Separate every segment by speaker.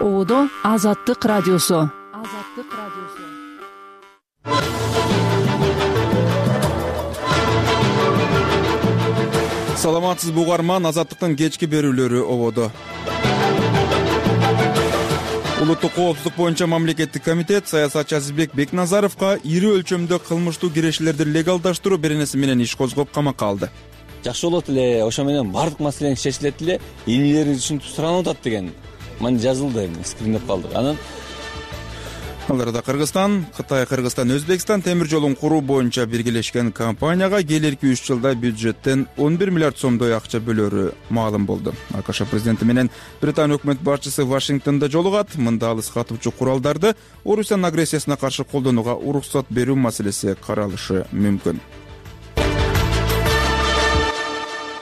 Speaker 1: Ободо Азаттык радиосу.
Speaker 2: Саламатсызбы угарман, Азаттыктын кечки берүүлөрү ободо. Улуттук коопсуздук боюнча мамлекеттик комитет саясатчы Азизбек Бекназаровго ири өлчөмдө кылмыштуу кирешилерди легалдаштыруу беренеси менен иш козгоп камакка алды.
Speaker 3: Жакшы болот эле, ошо менен бардык маселең чечилет эле, энелериңиз ушинтип суранып атат деген мына жазылды, скриндеп калдык. Анан
Speaker 2: ал арада Кыргызстан, Кытай, Кыргызстан, Өзбекстан темир жолун куруу боюнча биргелешкен компанияга келерки 3 жылда бюджеттен 11 миллиард сомдой акча бөлөрү маалым болду. АКШ президенти менен Британия өкмөт башчысы Вашингтондо жолугат. Мында алыс катуучу куралдарды Орусиянын агрессиясына каршы колдонууга уруксат берүү маселеси каралышы мүмкүн.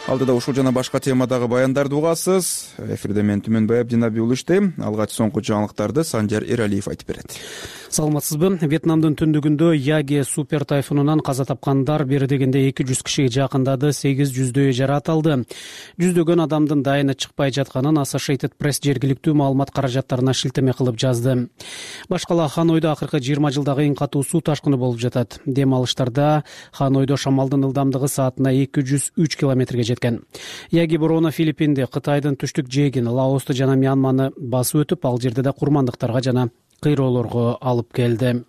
Speaker 2: Алдыда ушул жана башка темадагы баяндарды угасыз. Эфирде мен Түмөнбай Абдинаби уулу иштейм. Алгач соңку жаңылыктарды Санжар Эралиев айтып берет.
Speaker 4: Саламатсызбы? Вьетнамдын түндүгүндө Яги супер тайфунунан каза тапкандар бир дегенде 200 кишиге жакындады, 800дөйү жаракат алды. Жүздөгөн адамдын дайыны чыкпай жатканын Associated Press жергиликтүү маалымат каражаттарына шилтеме кылып жазды. Башкала Ханойдо акыркы 20 жылдагы эң катуу суу ташкыны болуп жатат. Дем алыштарда Ханойдо шамалдын ылдамдыгы саатына 203 километрге жеткен. Яги бороону Филиппинди, Кытайдын түштүк жээгин, Лаосту жана Мьянманы басып өтүп, ал жерде да курмандыктарга жана кыйроолорго алып келди.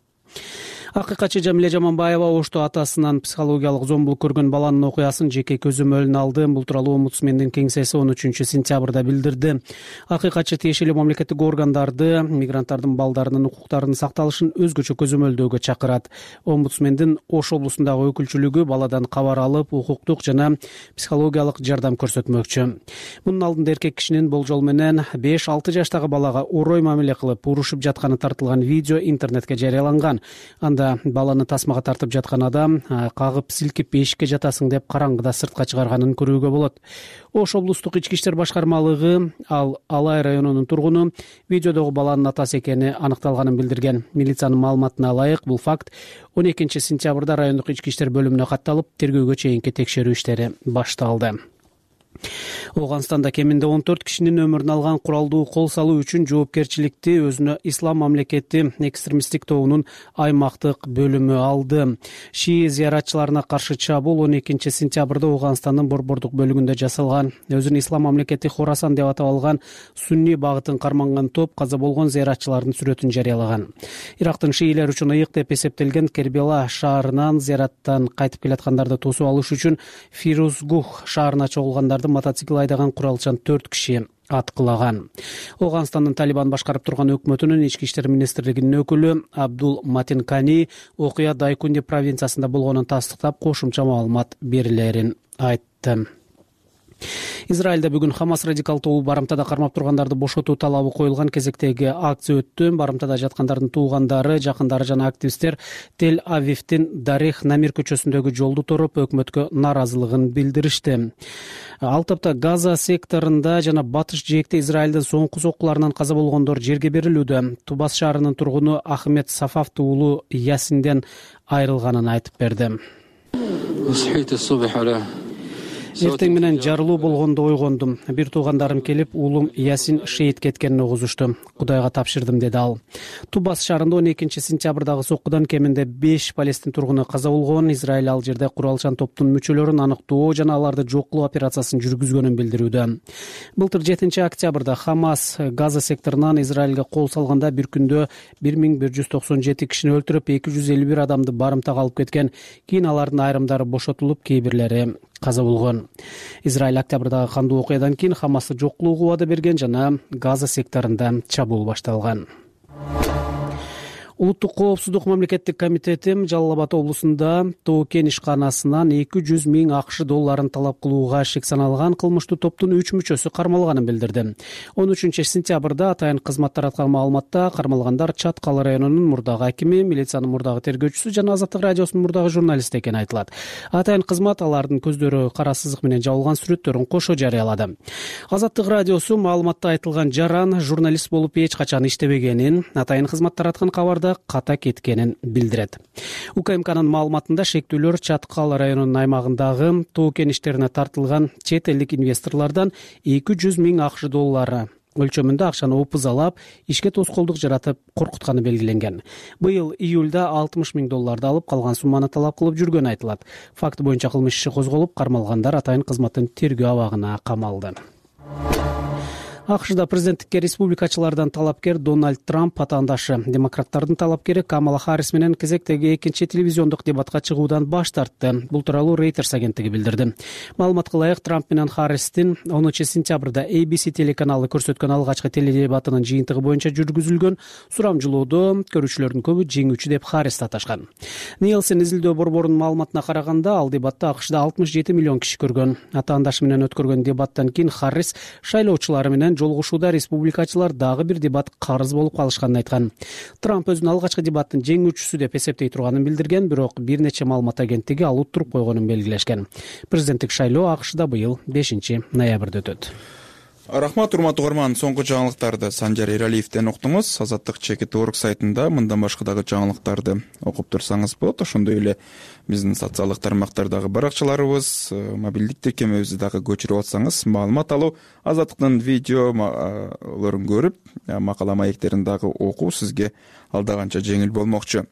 Speaker 4: Акыйкатчы Жамиле Жаманбаева Ошту атасынан психологиялык зомбулук көргөн баланын окуясын жеке көзөмөлүнө алды. Бул тууралуу омбудсмендин кеңсеси 13-сентябрда билдирди. Акыйкатчы тиешелүү мамлекеттик органдарды мигранттардын балдарынын укуктарынын сакталышын өзгөчө көзөмөлдөөгө чакырат. Омбудсмендин Ош облусундагы өкүлчүлүгү баладан кабар алып, укуктук жана психологиялык жардам көрсөтмөкчү. Мунун алдында эркек кишинин болжол менен 5-6 жаштагы балага орой мамиле кылып, урушуп жатканы тартылган видео интернетке жарыяланган. Баланы тасмага тартып жаткан адам кагып силкип эшикке жатасың деп караңгыда сыртка чыгарганын көрүүгө болот. Ош облустук ички иштер башкармалыгы ал Алай районунун тургуну видеодогу баланын атасы экени аныкталганын билдирген. Милициянын маалыматына ылайык, бул факт 12-сентябрда райондук ички иштер бөлүмүнө катталып, тергөөгө чейинки текшерүү иштери башталды. Ооганстанда кеминде 14 кишинин өмүрүн алган куралдуу кол салуу үчүн жоопкерчиликти өзүнө Ислам мамлекети экстремисттик тобунун аймактык бөлүмү алды. Шии зыяратчыларына каршы чабуул 12-сентябрда Ооганстандын борбордук бөлүгүндө жасалган. Өзүн Ислам мамлекети Хорасан деп атап алган сунни багытын карманган топ каза болгон зыяратчылардын сүрөтүн жарыялаган. Ирактын шиилер үчүн ыйык деп эсептелген Кербела шаарынан зыяраттан кайтып келаткандарды тосуп алыш үчүн Фирузгух шаарына чогулгандарды мотоцикл айдаган куралчан 4 киши аткылаган. Ооганстандын Талибан башкарып турган өкмөтүнүн ички иштер министрлигинин өкүлү Абдул Матин Кани окуя Дайкунди провинциясында болгонун тастыктап, кошумча маалымат берилерин айтты. Израилде бүгүн Хамас радикал тобу барымтада кармап тургандарды бошотуу талабы коюлган кезектеги акция өттү. Барымтада жаткандардын туугандары, жакындары жана активисттер Тель-Авивдин Дарих Намир көчөсүндөгү жолду тороп өкмөткө нааразылыгын билдиришти. Ал тапта Газа секторунда жана батыш жээкте Израилдин соңку соккуларынан каза болгондор жерге берилүүдө. Тубас шаарынын тургуну Ахмед Сафаф уулу Ясинден айрылганын айтып берди. Эртең менен жарылуу болгондо ойгондум. Бир туугандарым келип, уулум Ясин шейит кеткенин угузушту. Кудайга тапшырдым, деди ал. Тубас шаарында 12-сентябрдагы соккудан кеминде 5 палестин тургуну каза болгон. Израиль ал жерде куралчан топтун мүчөлөрүн аныктоо жана аларды жок кылуу операциясын жүргүзгөнүн билдирүүдө. Былтыр 7-октябрда Хамас Газа секторунан Израилге кол салганда бир күндө 1197 кишини өлтүрүп, 251 адамды барымтага алып кеткен. Кийин алардын айрымдары бошотулуп, кейбирлери каза болгон. Израиль октябрдагы кандуу окуядан кийин Хамасты жок кылууга убада берген жана Газа секторунда чабуул башталган. Улуттук коопсуздук мамлекеттик комитети Жалал Абад облусунда Тоо-Кен ишканасынан 200 миң АКШ долларын талап кылууга шек саналган кылмыштуу топтун 3 мүчөсү кармалганын билдирди. 13-сентябрда атайын кызмат тараткан маалыматта кармалгандар Чаткал районунун мурдагы акими, милициянын мурдагы тергөөчүсү жана Азаттык радиосунун мурдагы журналисти экени айтылат. Атайын кызмат алардын көздөрү кара сызык менен жабылган сүрөттөрүн кошо жарыялады. Азаттык радиосу маалыматта айтылган жаран журналист болуп эч качан иштебегенин, атайын кызмат тараткан кабарда ката кеткенин билдирет. УКМКнын маалыматында шектүүлөр Чаткал районунун аймагындагы Тоо-Кен иштерине тартылган чет элдик инвесторлордон 200 миң АКШ доллары өлчөмүндө акчаны опузалап, ишке тоскоолдук жаратып коркутканы белгиленген. Быйыл июлда $60,000 алып, калган сумманы талап кылып жүргөнү айтылат. Факт боюнча кылмыш иши козголуп, кармалгандар атайын кызматтын тергөө абагына камалды. АКШда президенттикке республикачылардан талапкер Дональд Трамп атаандашы. Демократтардын талапкери Камала Харрис менен кезектеги экинчи телевизиондук дебатка чыгуудан баш тартты. Бул тууралуу Reuters агенттиги билдирди. Маалыматка ылайык, Трамп менен Харристин 10 сентябрда ABC телеканалы көрсөткөн алгачкы теледебатынын жыйынтыгы боюнча жүргүзүлгөн сурамжылоодо көрүүчүлөрдүн көбү жеңүүчү деп Харристи аташкан. Nielsen изилдөө борборунун маалыматына караганда, ал дебатты АКШда 67 миллион киши көргөн. Атаандашы менен өткөргөн дебаттан кийин Харрис шайлоочулары менен жолугушууда республикачылар дагы бир дебат карыз болуп калышканын айткан. Трамп өзүнүн алгачкы дебаттын жеңүүчүсү деп эсептей турганын билдирген, бирок бир нече маалымат агенттиги ал уттуруп койгонун белгилешкен. Президенттик шайлоо АКШда быйыл 5 ноябрда өтөт.
Speaker 2: Рахмат, урматтуу угарман. Соңку жаңылыктарды Санжар Эралиевден уктуңуз. Азаттык ЧКТ.org сайтында мындан башка дагы жаңылыктарды окуп турсаңыз болот. Ошондой эле биздин социалдык тармактардагы баракчаларыбыз, мобилдик тиркемебизди дагы көчүрүп атсаңыз, маалымат алуу, Азаттыктын видеолорун көрүп, макала маектерин дагы окуу сизге алда канча жеңил болмокчу.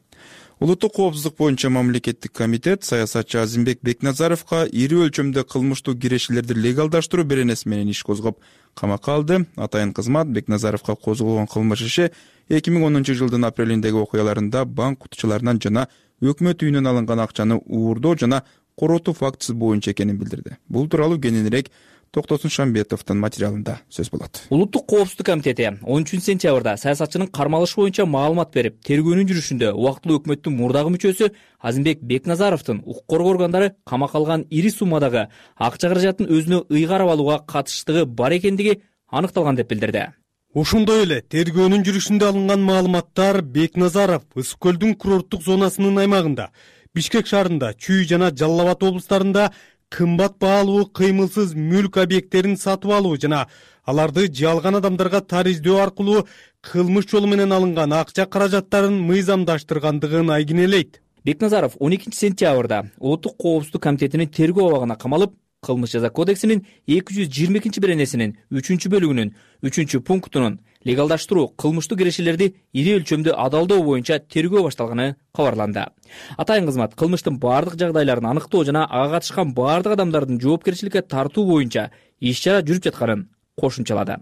Speaker 2: Улуттук коопсуздук боюнча мамлекеттик комитет саясатчы Азимбек Бекназаровго ири өлчөмдө кылмыштуу кирешилерди легалдаштыруу беренеси менен иш козгоп камакка алды. Атайын кызмат Бекназаровго козголгон кылмыш иши 2010 жылдын апрелиндеги окуяларында банк кутучуларынан жана өкмөт үйүнөн алынган акчаны уурдоо жана коротуу фактысы боюнча экенин билдирди. Бул тууралуу кененирээк Токтосун Шамбетовдун материалында сөз болот.
Speaker 5: Улуттук коопсуздук комитети 13 сентябрда саясатчынын кармалышы боюнча маалымат берип, тергөөнүн жүрүшүндө убактылуу өкмөттүн мурдагы мүчөсү Азимбек Бекназаровдун укук коргоо органдары камакка алган ири суммадагы акча каражатын өзүнө ыйгарып алууга катыштыгы бар экендиги аныкталган деп билдирди.
Speaker 6: Ошондой эле тергөөнүн жүрүшүндө алынган маалыматтар Бекназаров Ысык көлдүн курорттук зонасынын аймагында, Бишкек шаарында, Чүй жана Жалал Абад облустарында кымбат баалуу кыймылсыз мүлк объекттерин сатып алуу жана аларды жалган адамдарга тариздөө аркылуу кылмыш жолу менен алынган акча каражаттарын мыйзамдаштыргандыгын айгинелейт.
Speaker 5: Бекназаров 12 сентябрда Улуттук коопсуздук комитетинин тергөө абагына камалып, Кылмыш жаза кодексинин 222 беренесинин 3-бөлүгүнүн 3-пунктунун легалдаштыруу кылмыштуу кирешелерди ири өлчөмдө адалдоо боюнча тергөө башталганы кабарланды. Атайын кызмат кылмыштын бардык жагдайларын аныктоо жана ага катышкан бардык адамдардын жоопкерчиликке тартуу боюнча иш-чара жүрүп жатканын кошумчалады.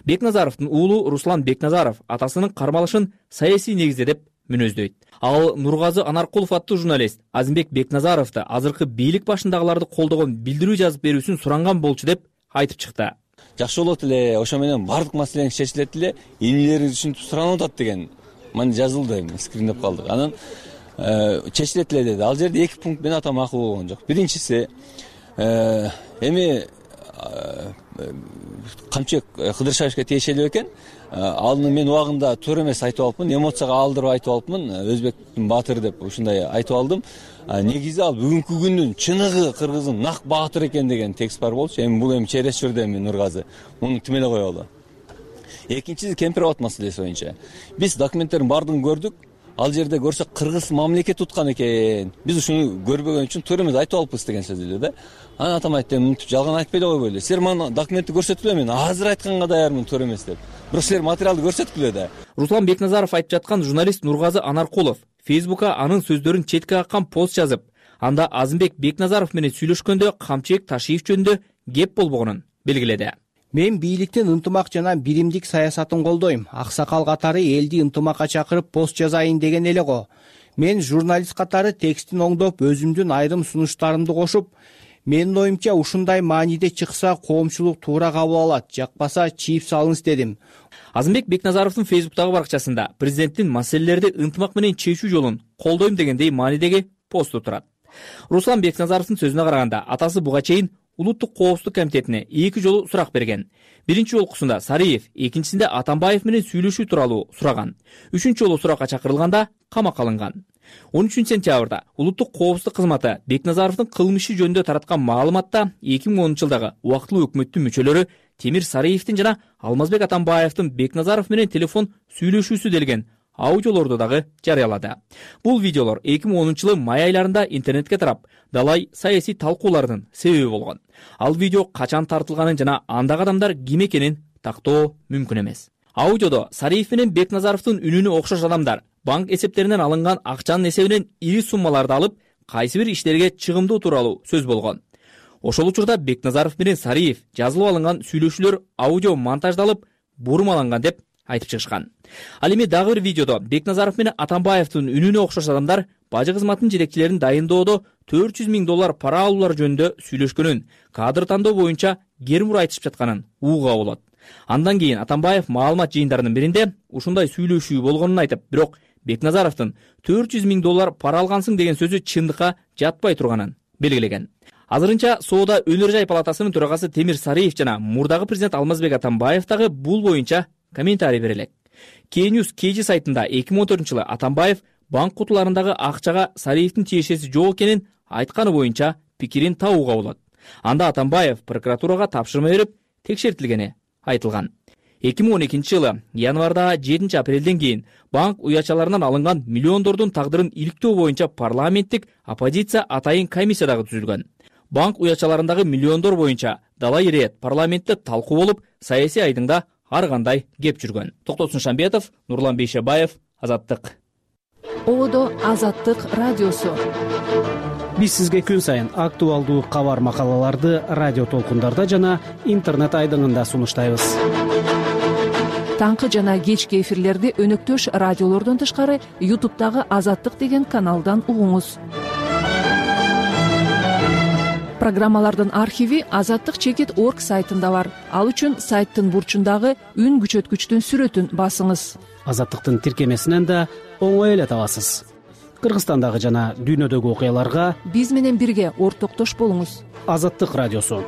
Speaker 5: Бекназаровдун уулу Руслан Бекназаров атасынын кармалышын саясий негизде деп мүнөздөйт. Ал Нургазы Анаркулов аттуу журналист Азимбек Бекназаровду азыркы бийлик башындагыларды колдогон билдирүү жазып берүүсүн суранган болчу деп айтып чыкты.
Speaker 3: Жакшы болот эле, ошо менен бардык маселең чечилет эле, инилери түшүнүп суранып атат деген мына жазылды, скриндеп калдык. Анан чечилет эле деди. Ал жерде 2 пункт менен ата макул болгон жок. Биринчиси эми Камчек Кыдыршаевке тиешелүү экен. Аны мен убагында туура эмес айтып алыпмын, эмоцияга алдырып айтып алыпмын. Өзбектин баатыры деп ушундай айтып алдым. Негизи ал бүгүнкү күндүн чыныгы кыргыздын нак баатыр экен деген текст бар болчу. Эми бул через жүрдү эми Нургазы. Муну тим эле коелу. Экинчиси Кемпирабад маселеси боюнча. Биз документтердин баардыгын көрдүк. Ал жерде көрсөк кыргыз мамлекет туткан экен. Биз ушуну көрбөгөн үчүн туура эмес айтып алыппыз деген сөз эле да. Анан атам айтты, мынтип жалган айтпай эле койбойлу. Силер мага документти көрсөткүлө, мен азыр айтканга даярмын туура эмес деп. Бирок силер материалды көрсөткүлө да.
Speaker 5: Руслан Бекназаров айтып жаткан журналист Нургазы Анаркулов Фейсбукка анын сөздөрүн четке каккан пост жазып, анда Азимбек Бекназаров менен сүйлөшкөндө Камчек Ташиев жөнүндө кеп болбогонун белгиледи.
Speaker 7: Мен бийликтин ынтымак жана биримдик саясатын колдойм. Аксакал катары элди ынтымакка чакырып пост жазайын деген эле го. Мен журналист катары текстин оңдоп, өзүмдүн айрым сунуштарымды кошуп, менин оюмча ушундай мааниде чыкса коомчулук туура кабыл алат, жакпаса чийип салыңыз дедим.
Speaker 5: Азимбек Бекназаровдун Фейсбуктагы баракчасында президенттин маселелерди ынтымак менен чечүү жолун колдойм дегендей маанидеги посту турат. Руслан Бекназаровдун сөзүнө караганда, атасы буга чейин Улуттук коопсуздук комитетине 2 жолу сурак берген. Биринчи жолкусунда Сариев, экинчисинде Атамбаев менен сүйлөшүү тууралуу сураган. 3-чү жолу суракка чакырылганда камакка алынган. 13 сентябрда Улуттук коопсуздук кызматы Бекназаровдун кылмышы жөнүндө тараткан маалыматта 2010 жылдагы убактылуу өкмөттүн мүчөлөрү Темир Сариевдин жана Алмазбек Атамбаевдин Бекназаров менен телефон сүйлөшүүсү делген аудиолорду дагы жарыялады. Бул видеолор 2010 жылы май айларында интернетке тарап, далай саясий талкуулардын себеби болгон. Ал видео качан тартылганын жана андагы адамдар ким экенин тактоо мүмкүн эмес. Аудиодо Сариев менен Бекназаровдун үнүнө окшош адамдар банк эсептеринен алынган акчанын эсебинен ири суммаларды алып, кайсы бир иштерге чыгымдоо тууралуу сөз болгон. Ошол учурда Бекназаров менен Сариев жазылып алынган сүйлөшүүлөр аудио монтаждалып, бурмаланган деп айтып чыгышкан. Ал эми дагы бир видеодо Бекназаров менен Атамбаевдин үнүнө окшош адамдар бажы кызматынын жетекчилерин дайындоодо $400 000 пара алуулар жөнүндө сүйлөшкөнүн, кадр тандоо боюнча кермур айтышып жатканын угууга болот. Андан кийин Атамбаев маалымат жыйындарынын биринде ушундай сүйлөшүү болгонун айтып, бирок Бекназаровдун $400 000 пара алгансың деген сөзү чындыкка жатпай турганын белгилеген. Азырынча Соода өнөр жай палатасынын төрагасы Темир Сариев жана мурдагы президент Алмазбек Атамбаев дагы бул боюнча комментарий берелек. K-News KG сайтында 2014-жылы Атамбаев банк кутуларындагы акчага Сариевдин тиешеси жок экенин айтканы боюнча пикирин табууга болот. Анда Атамбаев прокуратурага тапшырма берип, текшертилгени айтылган. 2012-жылы январда 7 апрелден кийин банк уячаларынан алынган миллиондордун тагдырын иликтөө боюнча парламенттик оппозиция атайын комиссия дагы түзүлгөн. Банк уячаларындагы миллиондор боюнча дала ирет парламентте талкуу болуп, саясий айдыңда ар кандай кеп жүргөн. Токтосун Шамбетов, Нурлан Бейшебаев, Азаттык.
Speaker 1: Одо Азаттык радиосу.
Speaker 4: Биз сизге күн сайын актуалдуу кабар макалаларды радио толкундарда жана интернет айдыңында сунуштайбыз.
Speaker 1: Таңкы жана кечки эфирлерди өнөктөш радиолордон тышкары YouTube'дагы Азаттык деген каналдан угуңуз. Программалардын архиви azattik.org сайтында бар. Ал үчүн сайттын бурчундагы үн күчөткүчтүн сүрөтүн басыңыз.
Speaker 4: Азаттыктын тиркемесинен да оңой эле табасыз. Кыргызстандагы жана дүйнөдөгү окуяларга
Speaker 1: биз менен бирге ортоктош болуңуз.
Speaker 4: Азаттык радиосу.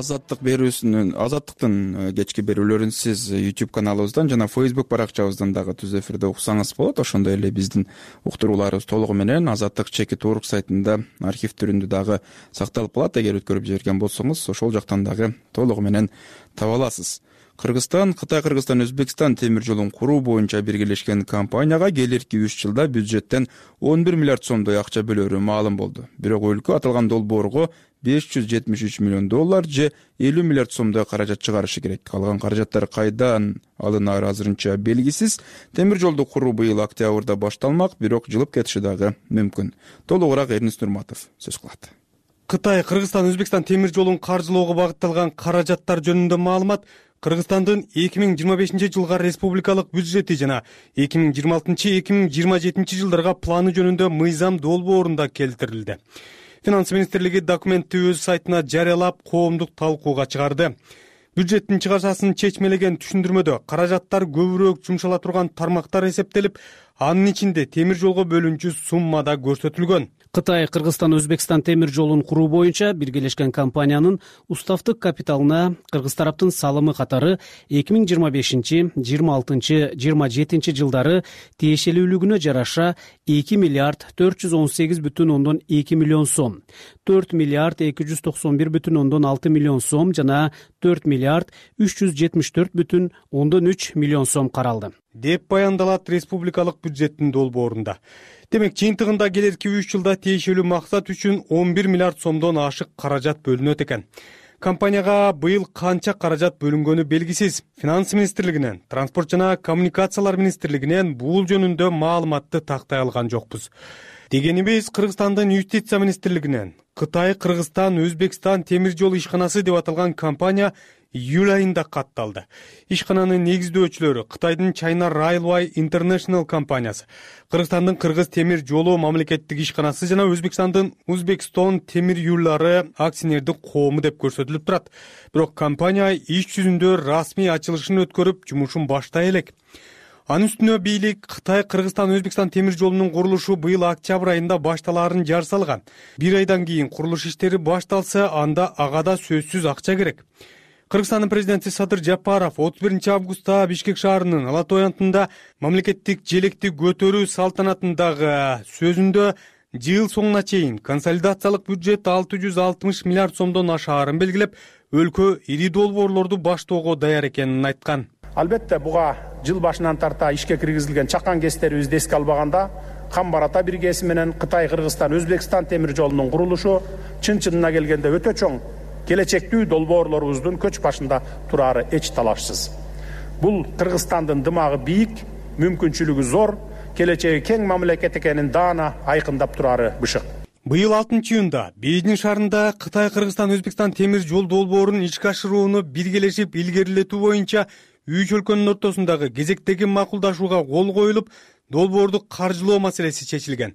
Speaker 2: Азаттыктын кечки берүүлөрүн сиз YouTube каналыбыздан жана Facebook баракчабыздан дагы түз эфирде уксаңыз болот. Ошондой эле биздин уктурууларыбыз толугу менен azattik.org сайтында архив түрүндө дагы сакталып калат. Эгер өткөрүп жиберген болсоңуз, ошол жактан дагы толугу менен таба аласыз. Кыргызстан, Кытай, Кыргызстан, Өзбекстан темир жолун куруу боюнча биргелешкен компанияга келерки 3 жылда бюджеттен 11 миллиард сомдой акча бөлөрү маалым болду. Бирок өлкө аталган долбоорго $573 миллион же 50 миллиард сомдой каражат чыгарышы керек. Калган каражаттар кайдан алынары азырынча белгисиз. Темир жолду куруу быйыл октябрда башталмак, бирок жылып кетиши дагы мүмкүн. Толугураак Эрнис Нурматов сөз кылат.
Speaker 6: Кытай, Кыргызстан, Өзбекстан темир жолун каржылоого багытталган каражаттар жөнүндө маалымат Кыргызстандын 2025 жылга республикалык бюджети жана 2026-2027 жылдарга планы жөнүндө мыйзам долбоорунда келтирилди. Финанс министрлиги документти өз сайтына жарыялап, коомдук талкууга чыгарды. Бюджеттин чыгашасын чечмелеген түшүндүрмөдө каражаттар көбүрөөк жумшала турган тармактар эсептелип, анын ичинде темир жолго бөлүнчү сумма да көрсөтүлгөн.
Speaker 4: Кытай, Кыргызстан, Өзбекстан темир жолун куруу боюнча биргелешкен компаниянын уставдык капиталына кыргыз тараптын салымы катары 2025-26-27 жылдары тиешелүүлүгүнө жараша 2 миллиард 418,2 миллион сом, 4 миллиард 291,6 миллион сом жана 4 миллиард 374,3 миллион сом каралды
Speaker 6: деп баяндалат республикалык бюджеттин долбоорунда. Демек, жыйынтыгында келерки 3 жылда тиешелүү максат үчүн 11 миллиард сомдон ашык каражат бөлүнөт экен. Компанияга быйыл канча каражат бөлүнгөнү белгисиз. Финанс министрлигинен, Транспорт жана коммуникациялар министрлигинен бул жөнүндө маалыматты тактай алган жокпуз. Дегенибиз, Кыргызстандын юстиция министрлигинен Кытай, Кыргызстан, Өзбекстан темир жол ишканасы деп аталган компания июль айында катталды. Ишкананын негиздөөчүлөрү Кытайдын China Railway International компаниясы, Кыргызстандын Кыргыз темир жолу мамлекеттик ишканасы жана Өзбекстандын Uzbekistan темир юллары акционердик коому деп көрсөтүлүп турат. Бирок компания иш жүзүндө расмий ачылышын өткөрүп, жумушун баштай элек. Анын үстүнө бийлик Кытай, Кыргызстан, Өзбекстан темир жолунун курулушу быйыл октябрь айында башталаарын жар салган. Bir айдан кийин курулуш иштери башталса, анда ага да сөзсүз акча керек. Кыргызстандын президенти Садыр Жапаров 31 августта Бишкек шаарынын Ала Той антында мамлекеттик желекти көтөрүү салтанатындагы сөзүндө жыл соңуна чейин консолидациялык бюджет 660 миллиард сомдон ашаарын белгилеп, өлкө ири долбоорлорду баштоого даяр экенин айткан.
Speaker 8: Албетте, буга жыл башынан тарта ишке киргизилген чакан кестерибизди эске албаганда, камбар ата биргеси менен Кытай Кыргызстан Өзбекстан темир жолунун курулушу чын-чынына келгенде өтө чоң келечектүү долбоорлорубуздун көч башында турары эч талашсыз. Бул Кыргызстандын дымагы бийик, мүмкүнчүлүгү зор, келечеги кең мамлекет экенин даана айкындап турары бышык.
Speaker 6: Быйыл 6-июнда Бейжиң шаарында Кытай Кыргызстан Өзбекстан темир жол долбоорун ишке ашырууну биргелешип илгерилетүү боюнча үч өлкөнүн ортосундагы кезектеги макулдашууга кол коюлуп, долбоорду каржылоо маселеси чечилген.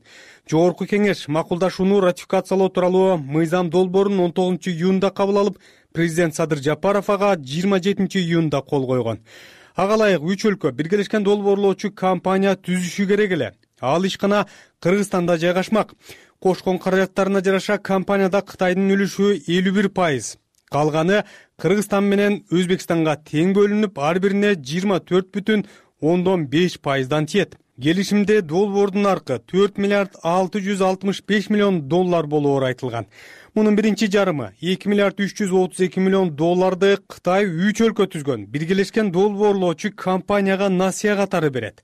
Speaker 6: Жогорку кеңеш макулдашууну ратификациялоо тууралуу мыйзам долбоорун 19-июнда кабыл алып, президент Садыр Жапаров ага 27-июнда кол койгон. Ага ылайык үч өлкө биргелешкен долбоорлоочу компания түзүшү керек эле. Ал ишкана Кыргызстанда жайгашмак. Кошкон каражаттарына жараша компанияда Кытайдын үлүшү 51%. Калганы Кыргызстан менен Өзбекстанга тең бөлүнүп, ар бирине 24,5%дан тиет. Келишимде долбоордун наркы 4 миллиард 665 миллион доллар болоору айтылган. Мунун биринчи жарымы 2 миллиард 332 миллион долларды Кытай үч өлкө түзгөн биргелешкен долбоорлоочу компанияга насыя катары берет.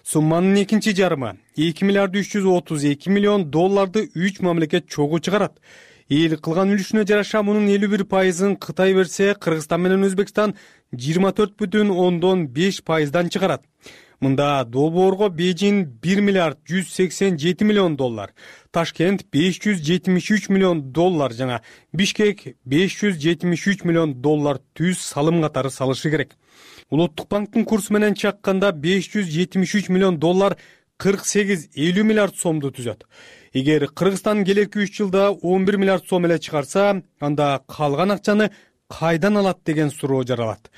Speaker 6: Сумманын экинчи жарымы 2 миллиард 332 миллион долларды үч мамлекет чогуу чыгарат. Эл кылган үлүшүнө жараша мунун 51%ын Кытай берсе, Кыргызстан менен Өзбекстан 24,5%дан чыгарат. Мында долбоорго Бейжиң 1 миллиард 187 миллион доллар, Ташкент 573 миллион доллар жана Бишкек 573 миллион доллар түз салым катары салышы керек. Улуттук банктын курсу менен чакканда 573 миллион доллар 48-50 миллиард сомду түзөт. Эгер Кыргызстан келерки 3 жылда 11 миллиард сом эле чыгарса, анда калган акчаны кайдан алат деген суроо жаралат.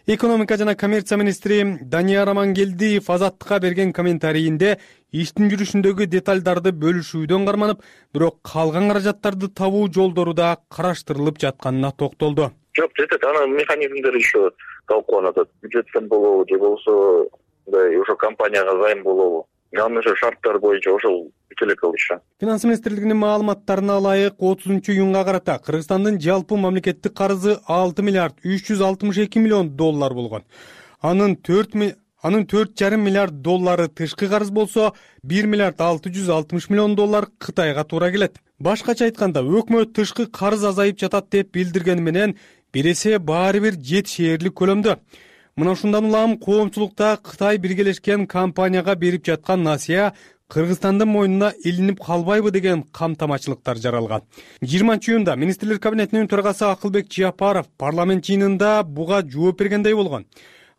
Speaker 6: Экономика жана коммерция министри Данияр Амангелдиев Азаттыкка берген комментарийинде иштин жүрүшүндөгү деталдарды бөлүшүүдөн карманып, бирок калган каражаттарды табуу жолдору да караштырылып жатканына токтолду.
Speaker 9: Жок, жетет, анын механизмдери еще талкууланат. Бюджеттен болобу же болбосо ошо компанияга займ болобу. Анын ошо шарттары боюнча ошол бүтүлөк алышат.
Speaker 6: Финанс министрлигинин маалыматтарына ылайык 30-июнга карата Кыргызстандын жалпы мамлекеттик карызы 6 миллиард 362 миллион доллар болгон. Анын 4,5 миллиард доллары тышкы карыз болсо, 1 миллиард 660 миллион доллар Кытайга туура келет. Башкача айтканда, өкмөт тышкы карыз азайып жатат деп билдиргени менен, бир эсе баары бир жетишээрлик көлөмдө. Мына ушундан улам коомчулукта Кытай биргелешкен компанияга берип жаткан насыя Кыргызстандын мойнуна илинип калбайбы деген камтамачылыктар жаралган. 20-июнда министрлер кабинетинин төрагасы Акылбек Жапаров парламент жыйынында буга жооп бергендей болгон.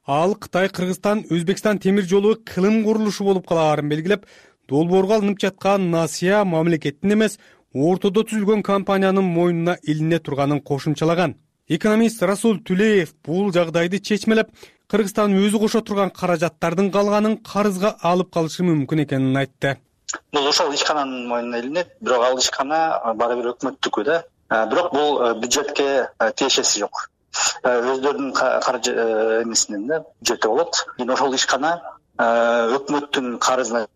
Speaker 6: Ал Кытай Кыргызстан Өзбекстан темир жолу кылым курулушу болуп калаарын белгилеп, долбоорго алынып жаткан насыя мамлекеттин эмес, ортодо түзүлгөн компаниянын мойнуна илине турганын кошумчалаган. Экономист Расул Түлеев бул жагдайды чечмелеп, Кыргызстан өзү кошо турган каражаттардын калганын карызга алып калышы мүмкүн экенин айтты.
Speaker 10: Бул ошол ишкананын мойнуна илинет, бирок ал ишкана баары бир өкмөттүкү да. Бирок бул бюджетке тиешеси жок. Өздөрүнүн каржы эмесинен да бюджетте болот. Ошол ишкана өкмөттүн карызына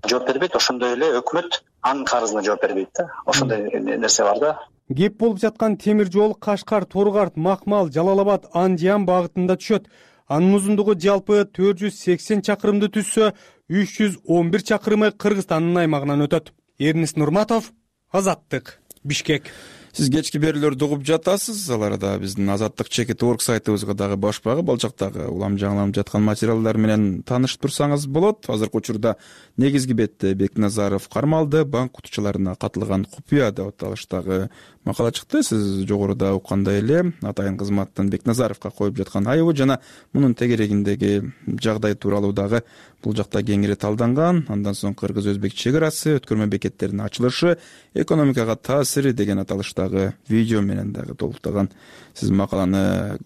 Speaker 10: жооп бербейт, ошондой эле өкмөт анын карызына жооп бербейт да. Ошондой нерсе бар да.
Speaker 6: Кеп болуп жаткан темир жол Кашкар, Торгарт, Макмал, Жалал-Абад, Андиян багытында түшөт. Анын узундугу жалпы 480 чакырымды түзсө, 311 чакырымы Кыргызстандын аймагынан өтөт. Эрнис Нурматов, Азаттык, Бишкек.
Speaker 2: Сиз кечки берүүлөрдү угуп жатасыз. Ал арада биздин Азаттык чекит орг сайтыбызга дагы башпагы балчактагы улам жаңыланып жаткан материалдар менен таанышып турсаңыз болот. Азыркы учурда негизги бетте Бекназаров кармалды, банк кутучуларына катылган купуя деп аталыштагы макала чыкты. Сиз жогоруда уккандай эле атайын кызматтын Бекназаровго коюп жаткан айыбы жана мунун тегерегиндеги жагдай тууралуу дагы бул жакта кеңири талданган. Андан соң кыргыз-өзбек чек арасы, өткөрмө бекеттеринин ачылышы, экономикага таасири деген аталыштагы видео менен дагы толуктаган сиз макаланы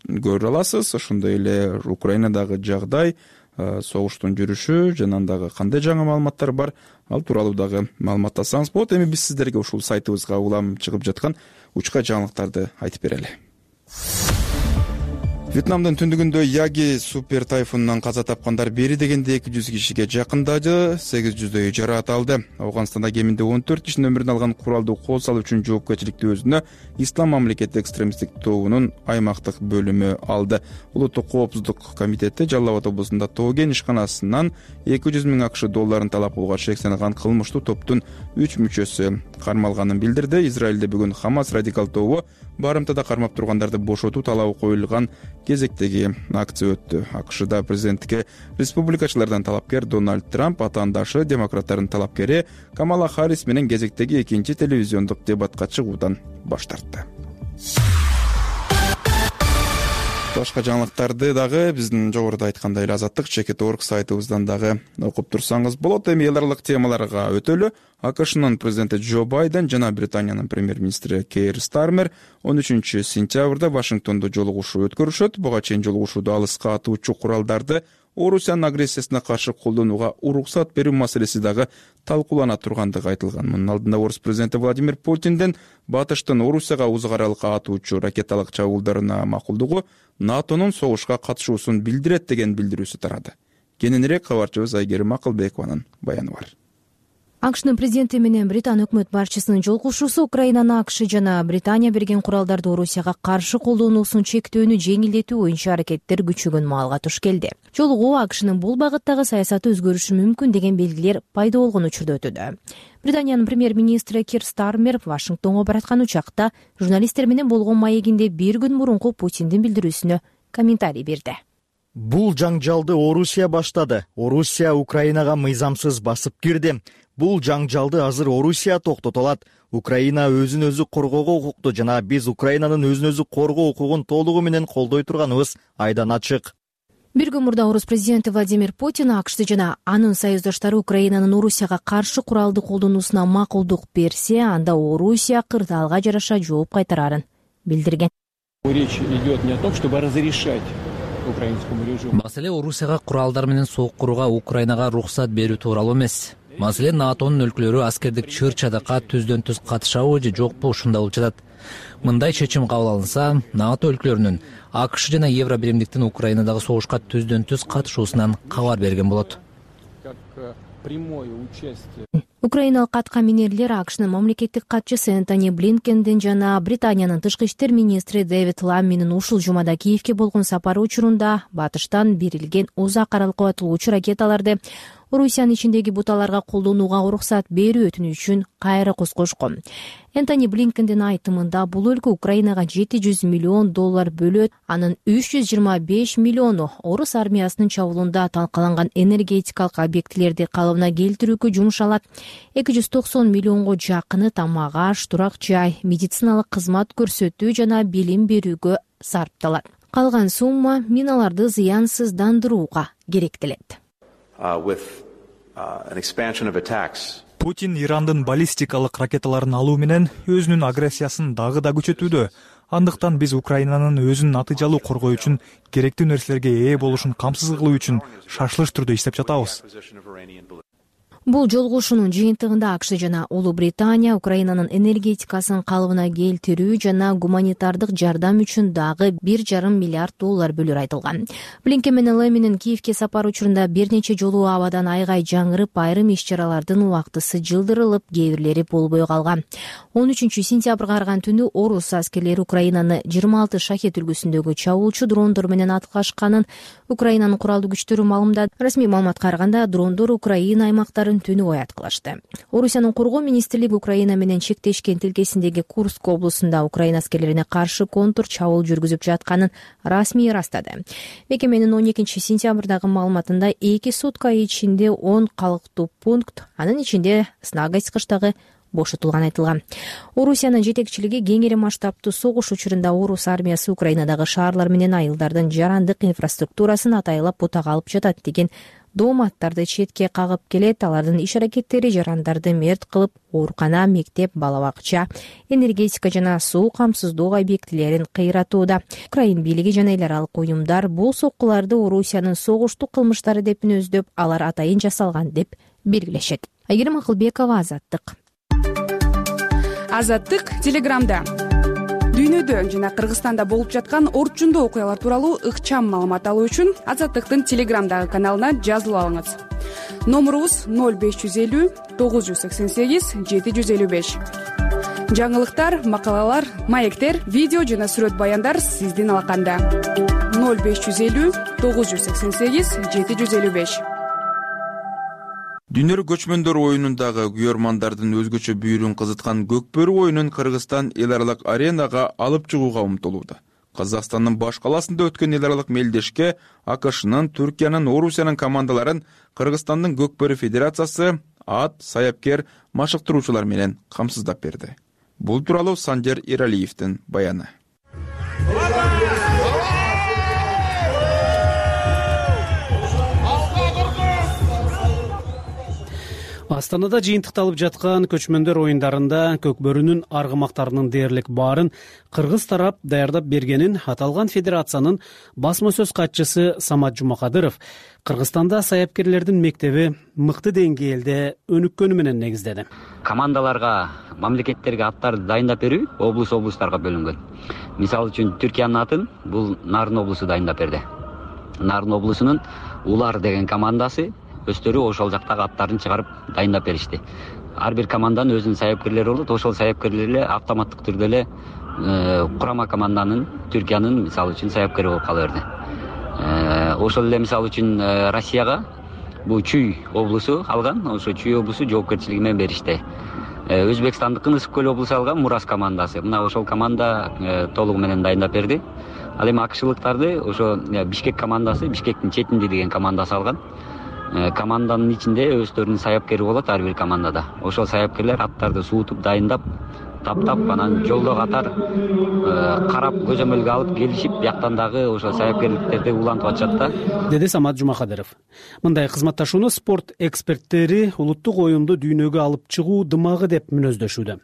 Speaker 2: көрө аласыз. Ошондой эле Украинадагы жагдай, согуштун жүрүшү жана андагы кандай жаңы маалыматтар бар, ал тууралуу дагы маалыматтасаңыз болот. Эми биз сиздерге ушул сайтыбызга улам чыгып жаткан учка жаңылыктарды айтып берели. Вьетнамдын түндүгүндө Яги супер тайфунунан каза тапкандар бери дегенде 200 кишиге жакындады, 800дөйү жараат алды. Афганстанда кеминде 14 кишинин өмүрүн алган куралдуу кол салуу үчүн жоопкерчиликти өзүнө Ислам мамлекети экстремисттик тобунун аймактык бөлүмү алды. Улуттук коопсуздук комитети Жалал Абад облусунда тоо кен ишканасынан 200 000 акш долларын талап кылууга шектелген кылмыштуу топтун 3 мүчөсү кармалганын билдирди. Израилде бүгүн Хамас радикал тобу барымтада кармап тургандарды бошотуу талабы коюлган кезектеги акция өттү. АКШда президенттикке республикачылардан талапкер Дональд Трамп атаандашы демократтардын талапкери Камала Харрис менен кезектеги экинчи телевизиондук дебатка чыгуудан баш тартты. Башка жаңылыктарды дагы биздин жогоруда айткандай эле Азаттык.org сайтыбыздан дагы окуп турсаңыз болот. Эми эл аралык темаларга өтөлү. АКШнын президенти Джо Байден жана Британиянын премьер-министри Кейр Стармер 13 сентябрда Вашингтондо жолугушуу өткөрүшөт. Буга чейин жолугушууда алыска атуучу куралдарды Орусиянын агрессиясына каршы колдонууга уруксат берүү маселеси дагы талкуулана тургандыгы айтылган. Мунун алдында Орус президенти Владимир Путинден батыштын Орусияга узак аралыкка атуучу ракеталык чабуулдарына макулдугу НАТОнун согушка катышуусун билдирет деген билдирүүсү тарады. Кененирээк кабарчыбыз Айгерим Акылбекованын баяны бар.
Speaker 11: АКШнын президенти менен Британ өкмөт башчысынын жолугушуусу Украинанын АКШ жана Британия берген куралдарды Орусияга каршы колдонуусун чектөөнү жеңилдетүү боюнча аракеттер күчөгөн маалга туш келди. Жолугуу АКШнын бул багыттагы саясаты өзгөрүшү мүмкүн деген белгилер пайда болгон учурда өтүүдө. Британиянын премьер-министри Кейр Стармер Вашингтонго бараткан учакта журналисттер менен болгон маегинде бир күн мурунку Путиндин билдирүүсүнө комментарий берди.
Speaker 12: Бул жаңжалды Орусия баштады. Орусия Украинага мыйзамсыз басып кирди. Бул жаңжалды азыр Орусия токтото алат. Украина өзүн өзү коргоого укуктуу жана биз Украинанын өзүн өзү коргоо укугун толугу менен колдой турганыбыз айдан ачык.
Speaker 11: Бир күн мурда Орус президенти Владимир Путин АКШ жана анын союздаштары Украинанын Орусияга каршы куралды колдонуусуна макулдук берсе, анда Орусия кырдаалга жараша жооп кайтарарын билдирген.
Speaker 13: Речь идет не о том, чтобы разрешать украинскому режиму.
Speaker 14: Маселе Орусияга куралдар менен согук курууга Украинага уруксат берүү тууралуу эмес. Маселе НАТОнун өлкөлөрү аскердик чыр-чадакка түздөн-түз катышабы же жокпу ушунда болуп жатат. Мындай чечим кабыл алынса, НАТО өлкөлөрүнүн АКШ жана Евро биримдиктин Украинадагы согушка түздөн-түз катышуусунан кабар берген болот.
Speaker 11: Украиналык атка минерлер АКШнын мамлекеттик катчысы Энтони Блинкендин жана Британиянын тышкы иштер министри Дэвид Ламминин ушул жумада Киевке болгон сапары учурунда батыштан берилген узак аралыкка атылуучу ракеталарды Орусиянын ичиндеги буталарга колдонууга уруксат берүү өтүнүшүн кайра козгошкон. Энтони Блинкендин айтымында бул өлкө Украинага $700 миллион бөлөт, анын 325 миллиону Орус армиясынын чабуулунда талкаланган энергетикалык объектилерди калыбына келтирүүгө жумшалат. 290 миллионго жакыны тамак-аш, турак жай, медициналык кызмат көрсөтүү жана билим берүүгө сарпталат. Калган сумма миналарды зыянсыздандырууга керектелет.
Speaker 15: Путин Ирандын баллистикалык ракеталарын алуу менен өзүнүн агрессиясын дагы да күчөтүүдө. Андыктан биз Украинанын өзүн натыйжалуу коргоо үчүн керектүү нерселерге ээ болушун камсыз кылуу үчүн шашылыш түрдө иштеп жатабыз.
Speaker 11: Бул жолугушуунун жыйынтыгында АКШ жана Улуу Британия Украинанын энергетикасын калыбына келтирүү жана гуманитардык жардам үчүн дагы $1,5 миллиард бөлөр айтылган. Блинкен менен Ламминин Киевке сапары учурунда бир нече жолу абадан айгай жаңырып, айрым иш-чаралардын убактысы жылдырылып, кээ бирлери болбой калган. 13 сентябрга арган түнү Орус аскерлери Украинаны 26 шахет үлгүсүндөгү чабуулчу дрондор менен аткашканын Украинанын куралдуу күчтөрү маалымдады. Расмий маалыматка караганда дрондор Украина аймактарын түнү бою аткылашты. Орусиянын коргоо министрлиги Украина менен чектешкен тилкесиндеги Курск облусунда Украина аскерлерине каршы контур чабуул жүргүзүп жатканын расмий ырастады. Мекеменин 12 сентябрдагы маалыматында 2 сутка ичинде 10 калктуу пункт, анын ичинде снаг айткычтагы бошотулган айтылган. Орусиянын жетекчилиги кеңири масштабтуу согуш учурунда Орус армиясы Украинадагы шаарлар менен айылдардын жарандык инфраструктурасын атайлап бутага алып жатат деген дооматтарды четке кагып келет. Алардын иш аракеттери жарандарды мерт кылып, оорукана, мектеп, бала бакча, энергетика жана суу камсыздоо объектилерин кыйратууда. Украин бийлиги жана эл аралык уюмдар бул соккуларды Орусиянын согуштук кылмыштары деп мүнөздөп, алар атайын жасалган деп белгилешет. Айгерим Акылбекова, Азаттык.
Speaker 16: Азаттык телеграмда. Дүйнөдө жана Кыргызстанда болуп жаткан орчундуу окуялар тууралуу ыкчам маалымат алуу үчүн Азаттыктын Телеграмдагы каналына жазылып алыңыз. Номурубуз 0550 988 755. Жаңылыктар, макалалар, маектер, видео жана сүрөт баяндар сиздин алаканда. 0550 988 755.
Speaker 2: Дүйнөлүк көчмөндөр оюнундагы күйөрмандардын өзгөчө бүйүрүн кызыткан Көкбөрү оюнун Кыргызстан эл аралык аренага алып чыгууга умтулууда. Казакстандын баш калаасында өткөн эл аралык мелдешке АКШнын, Түркиянын, Орусиянын командаларын Кыргызстандын Көкбөрү федерациясы ат, саяпкер, машыктыруучулар менен камсыздап берди. Бул тууралуу Санжар Эралиевдин баяны.
Speaker 4: Астанада жыйынтыкталып жаткан көчмөндөр оюндарында Көкбөрүнүн аргымактарынын дээрлик баарын кыргыз тарап даярдап бергенин аталган федерациянын басма сөз катчысы Самат Жумакадыров Кыргызстанда саяпкерлердин мектеби мыкты деңгээлде өнүккөнү менен негиздеди.
Speaker 17: Командаларга, мамлекеттерге аттарды дайындап берүү облустарга бөлүнгөн. Мисалы үчүн Түркиянын атын бул Нарын облусу дайындап берди. Нарын облусунун Улар деген командасы өздөрү ошол жактагы аттарын чыгарып дайындап беришти. Ар бир команданын өзүнүн саяпкерлери болот. Ошол саяпкерлер эле автоматтык түрдө эле курама команданын, Түркиянын мисалы үчүн саяпкери болуп кала берди. Ошол эле мисалы үчүн Россияга бул Чүй облусу алган. Ошо Чүй облусу жоопкерчилиги менен беришти. Өзбекстандыкын Ысык көл облусу алган Мурас командасы. Мына ошол команда толугу менен дайындап берди. Ал эми акшылыктарды ошо Бишкек командасы, Бишкектин четинди деген командасы алган. Команданын ичинде өздөрүнүн саяпкери болот ар бир командада. Ошол саяпкерлер аттарды суутуп, дайындап, таптап, анан жолдо катар карап, көзөмөлгө алып келишип, бияктан дагы ошол саяпкерликтерди улантып атышат да.
Speaker 4: Деди Самат Жумакадыров. Мындай кызматташууну спорт эксперттери улуттук оюнду дүйнөгө алып чыгуу дымагы деп мүнөздөшүүдө.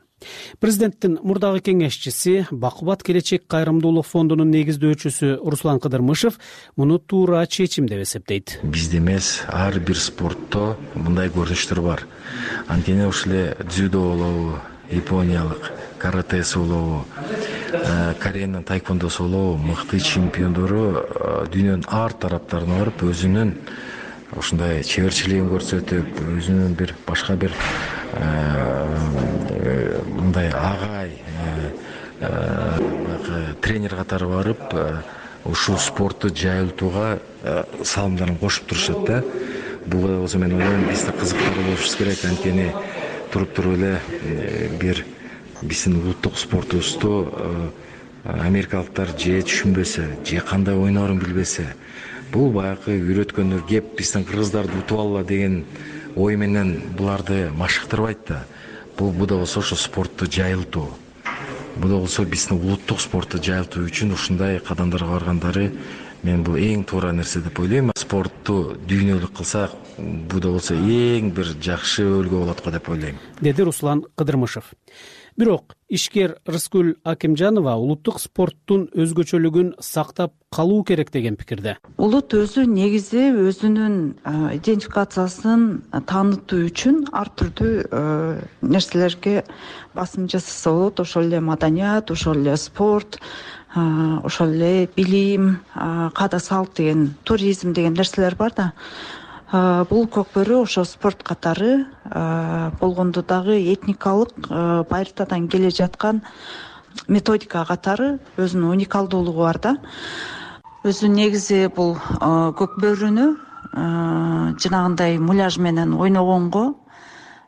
Speaker 4: Президенттин мурдагы кеңешчиси, Бакубат келечек кайрымдуулук фондунун негиздөөчүсү Руслан Кыдырмышев муну туура чечим деп эсептейт.
Speaker 18: Бизде эмес, ар бир спортто мындай көрүнүштөр бар. Анткени ошол эле дзюдо болобу, япониялык каратэси болобу, Кореянын тайквондосу болобу, мыкты чемпиондору дүйнөнүн ар тараптарына барып, өзүнүн ушундай чеберчилигин көрсөтүп, өзүнүн бир башка бир мындай агай тренер катары барып, ушул спортту жайылтууга салымдарын кошуп турушат да. Буга болсо мен ойлойм, биз да кызыктуу болушубуз керек. Анткени туруп эле бир биздин улуттук спортубузду америкалыктар же түшүнбөсө, же кандай ойноорун билбесе, бул баягы үйрөткөндөр кеп биздин кыргыздарды утуп алалы деген ой менен буларды машыктырбайт да. Бул да болсо ошо спортту жайылтуу. Бул да болсо биздин улуттук спортту жайылтуу үчүн ушундай кадамдарга баргандары мен бул эң туура нерсе деп ойлойм. Спортту дүйнөлүк кылсак, бул да болсо эң бир жакшы өлкө болот го деп ойлойм.
Speaker 4: Деди Руслан Кыдырмышев. Бирок ишкер Рыскүл Акимжанова улуттук спорттун өзгөчөлүгүн сактап калуу керек деген пикирде.
Speaker 19: Улут өзү негизи өзүнүн идентификациясын таанытуу үчүн ар түрдүү нерселерге басым жасаса болот. Ошол эле маданият, ошол эле спорт, ошол эле билим, каада салт деген, туризм деген нерселер бар да. Бул Көкбөрү ошо спорт катары болгондо дагы этникалык байыртадан келе жаткан методика катары өзүнүн уникалдуулугу бар да. Өзү негизи бул Көкбөрүнү жанагындай муляж менен ойногонго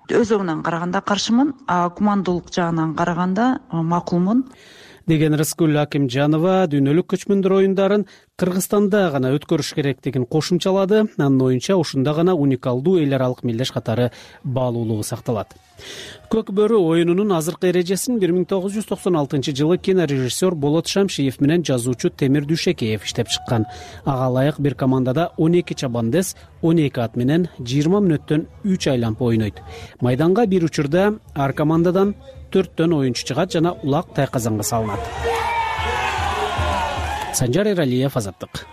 Speaker 19: өз жагынан караганда каршымын, а кумандуулук жагынан караганда макулмун
Speaker 4: деген Рыскүл Акимжанова дүйнөлүк көчмөндөр оюндарын Кыргызстанда гана өткөрүш керектигин кошумчалады. Анын оюнча ушунда гана уникалдуу эл аралык мелдеш катары баалуулугу сакталат. Көкбөрү оюнунун азыркы эрежесин 1996 жылы кинорежиссер Болот Шамшиев менен жазуучу Темир Дүйшекеев иштеп чыккан. Ага ылайык бир командада 12 чабандес 12 ат менен 20 мүнөттөн 3 айланып ойнойт. Майданга бир учурда ар командадан 4төн оюнчу чыгат жана улак тайказанга салынат. Санжар Эралиев, Азаттык.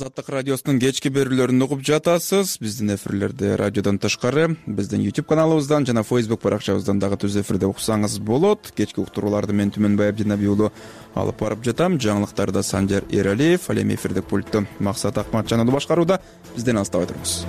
Speaker 2: Азаттык радиосунун кечки берүүлөрүн угуп жатасыз. Биздин эфирлерди радиодон тышкары биздин YouTube каналыбыздан жана Facebook баракчабыздан дагы түз эфирде уксаңыз болот. Кечки уктурууларды мен Түмөнбай Абдинаби уулу алып барып жатам. Жаңылыктарда Санжар Эралиев, ал эми эфирдик пультту Максат Акматжан уулу башкарууда. Бизден алыстабай туруңуз.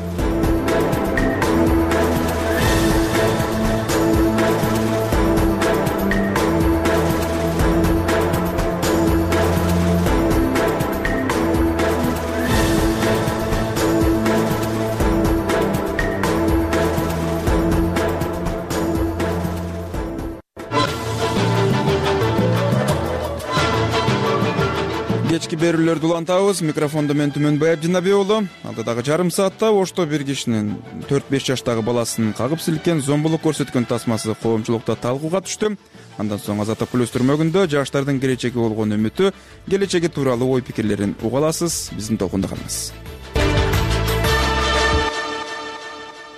Speaker 2: Кечки берүүлөрдү улантабыз. Микрофондо мен Түмөнбай Абдинаби уулу. Алдыдагы жарым саатта Ошто бир кишинин 4-5 жаштагы баласын кагып силкен, зомбулук көрсөткөн тасмасы коомчулукта талкууга түштү. Андан соң Азаттык плюс түрмөгүндө жаштардын келечеги болгон үмүтү, келечеги тууралуу ой пикирлерин уга аласыз. Биздин толкунда калыңыз.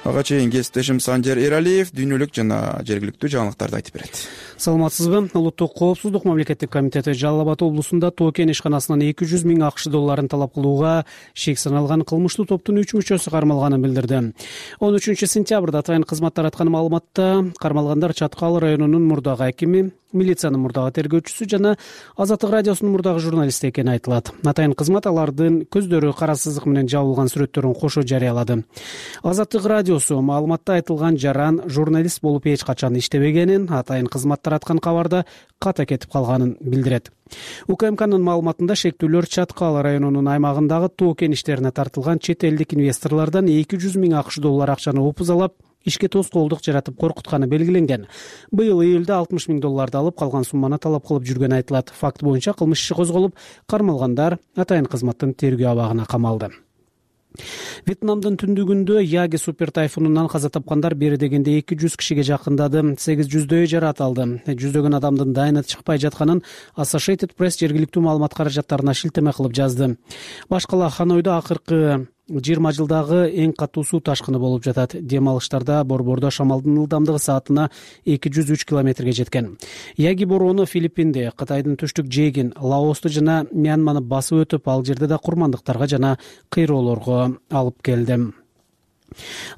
Speaker 2: Ага чейин кесиптешим Санжар Эралиев дүйнөлүк жана жергиликтүү жаңылыктарды айтып берет.
Speaker 4: Саламатсызбы? Улуттук коопсуздук мамлекеттик комитети Жалал Абад облусунда Токен ишканасынан 200 миң АКШ долларын талап кылууга шек саналган кылмыштуу топтун 3 мүчөсү кармалганын билдирди. 13 сентябрда атайын кызмат тараткан маалыматта кармалгандар Чаткал районунун мурдагы акими, милициянын мурдагы тергөөчүсү жана Азаттык радиосунун мурдагы журналисти экени айтылат. Атайын кызмат алардын көздөрү кара сызык менен жабылган сүрөттөрүн кошо жарыялады. Азаттык радиосу маалыматта айтылган жаран журналист болуп эч качан иштебегенин, атайын кызмат тараткан кабарда ката кетип калганын билдирет. УКМКнын маалыматында шектүүлөр Чаткал районунун аймагындагы тоо кеништерине тартылган чет элдик инвесторлордон 200 миң АКШ доллар акчаны опузалап, ишке тоскоолдук жаратып коркутканы белгиленген. Быйыл июлда 60 миң долларды алып, калган сумманы талап кылып жүргөнү айтылат. Факт боюнча кылмыш иши козголуп, кармалгандар атайын кызматтын тергөө абагына камалды. Вьетнамдын түндүгүндө Яги супер тайфунунан каза тапкандар бери дегенде 200 кишиге жакындады, 800дөй жарат алды. Жүздөгөн адамдын дайыны чыкпай жатканын Associated Press жергиликтүү маалымат каражаттарына шилтеме кылып жазды. Башкала Ханойдо акыркы 20 жылдагы эң катуу суу ташкыны болуп жатат. Дем алыштарда борбордо шамалдын ылдамдыгы саатына 203 километрге жеткен. Яги бороону Филиппинде, Кытайдын түштүк жээгин, Лаосту жана Мьянманы басып өтүп, ал жерде да курмандыктарга жана кыйроолорго алып келди.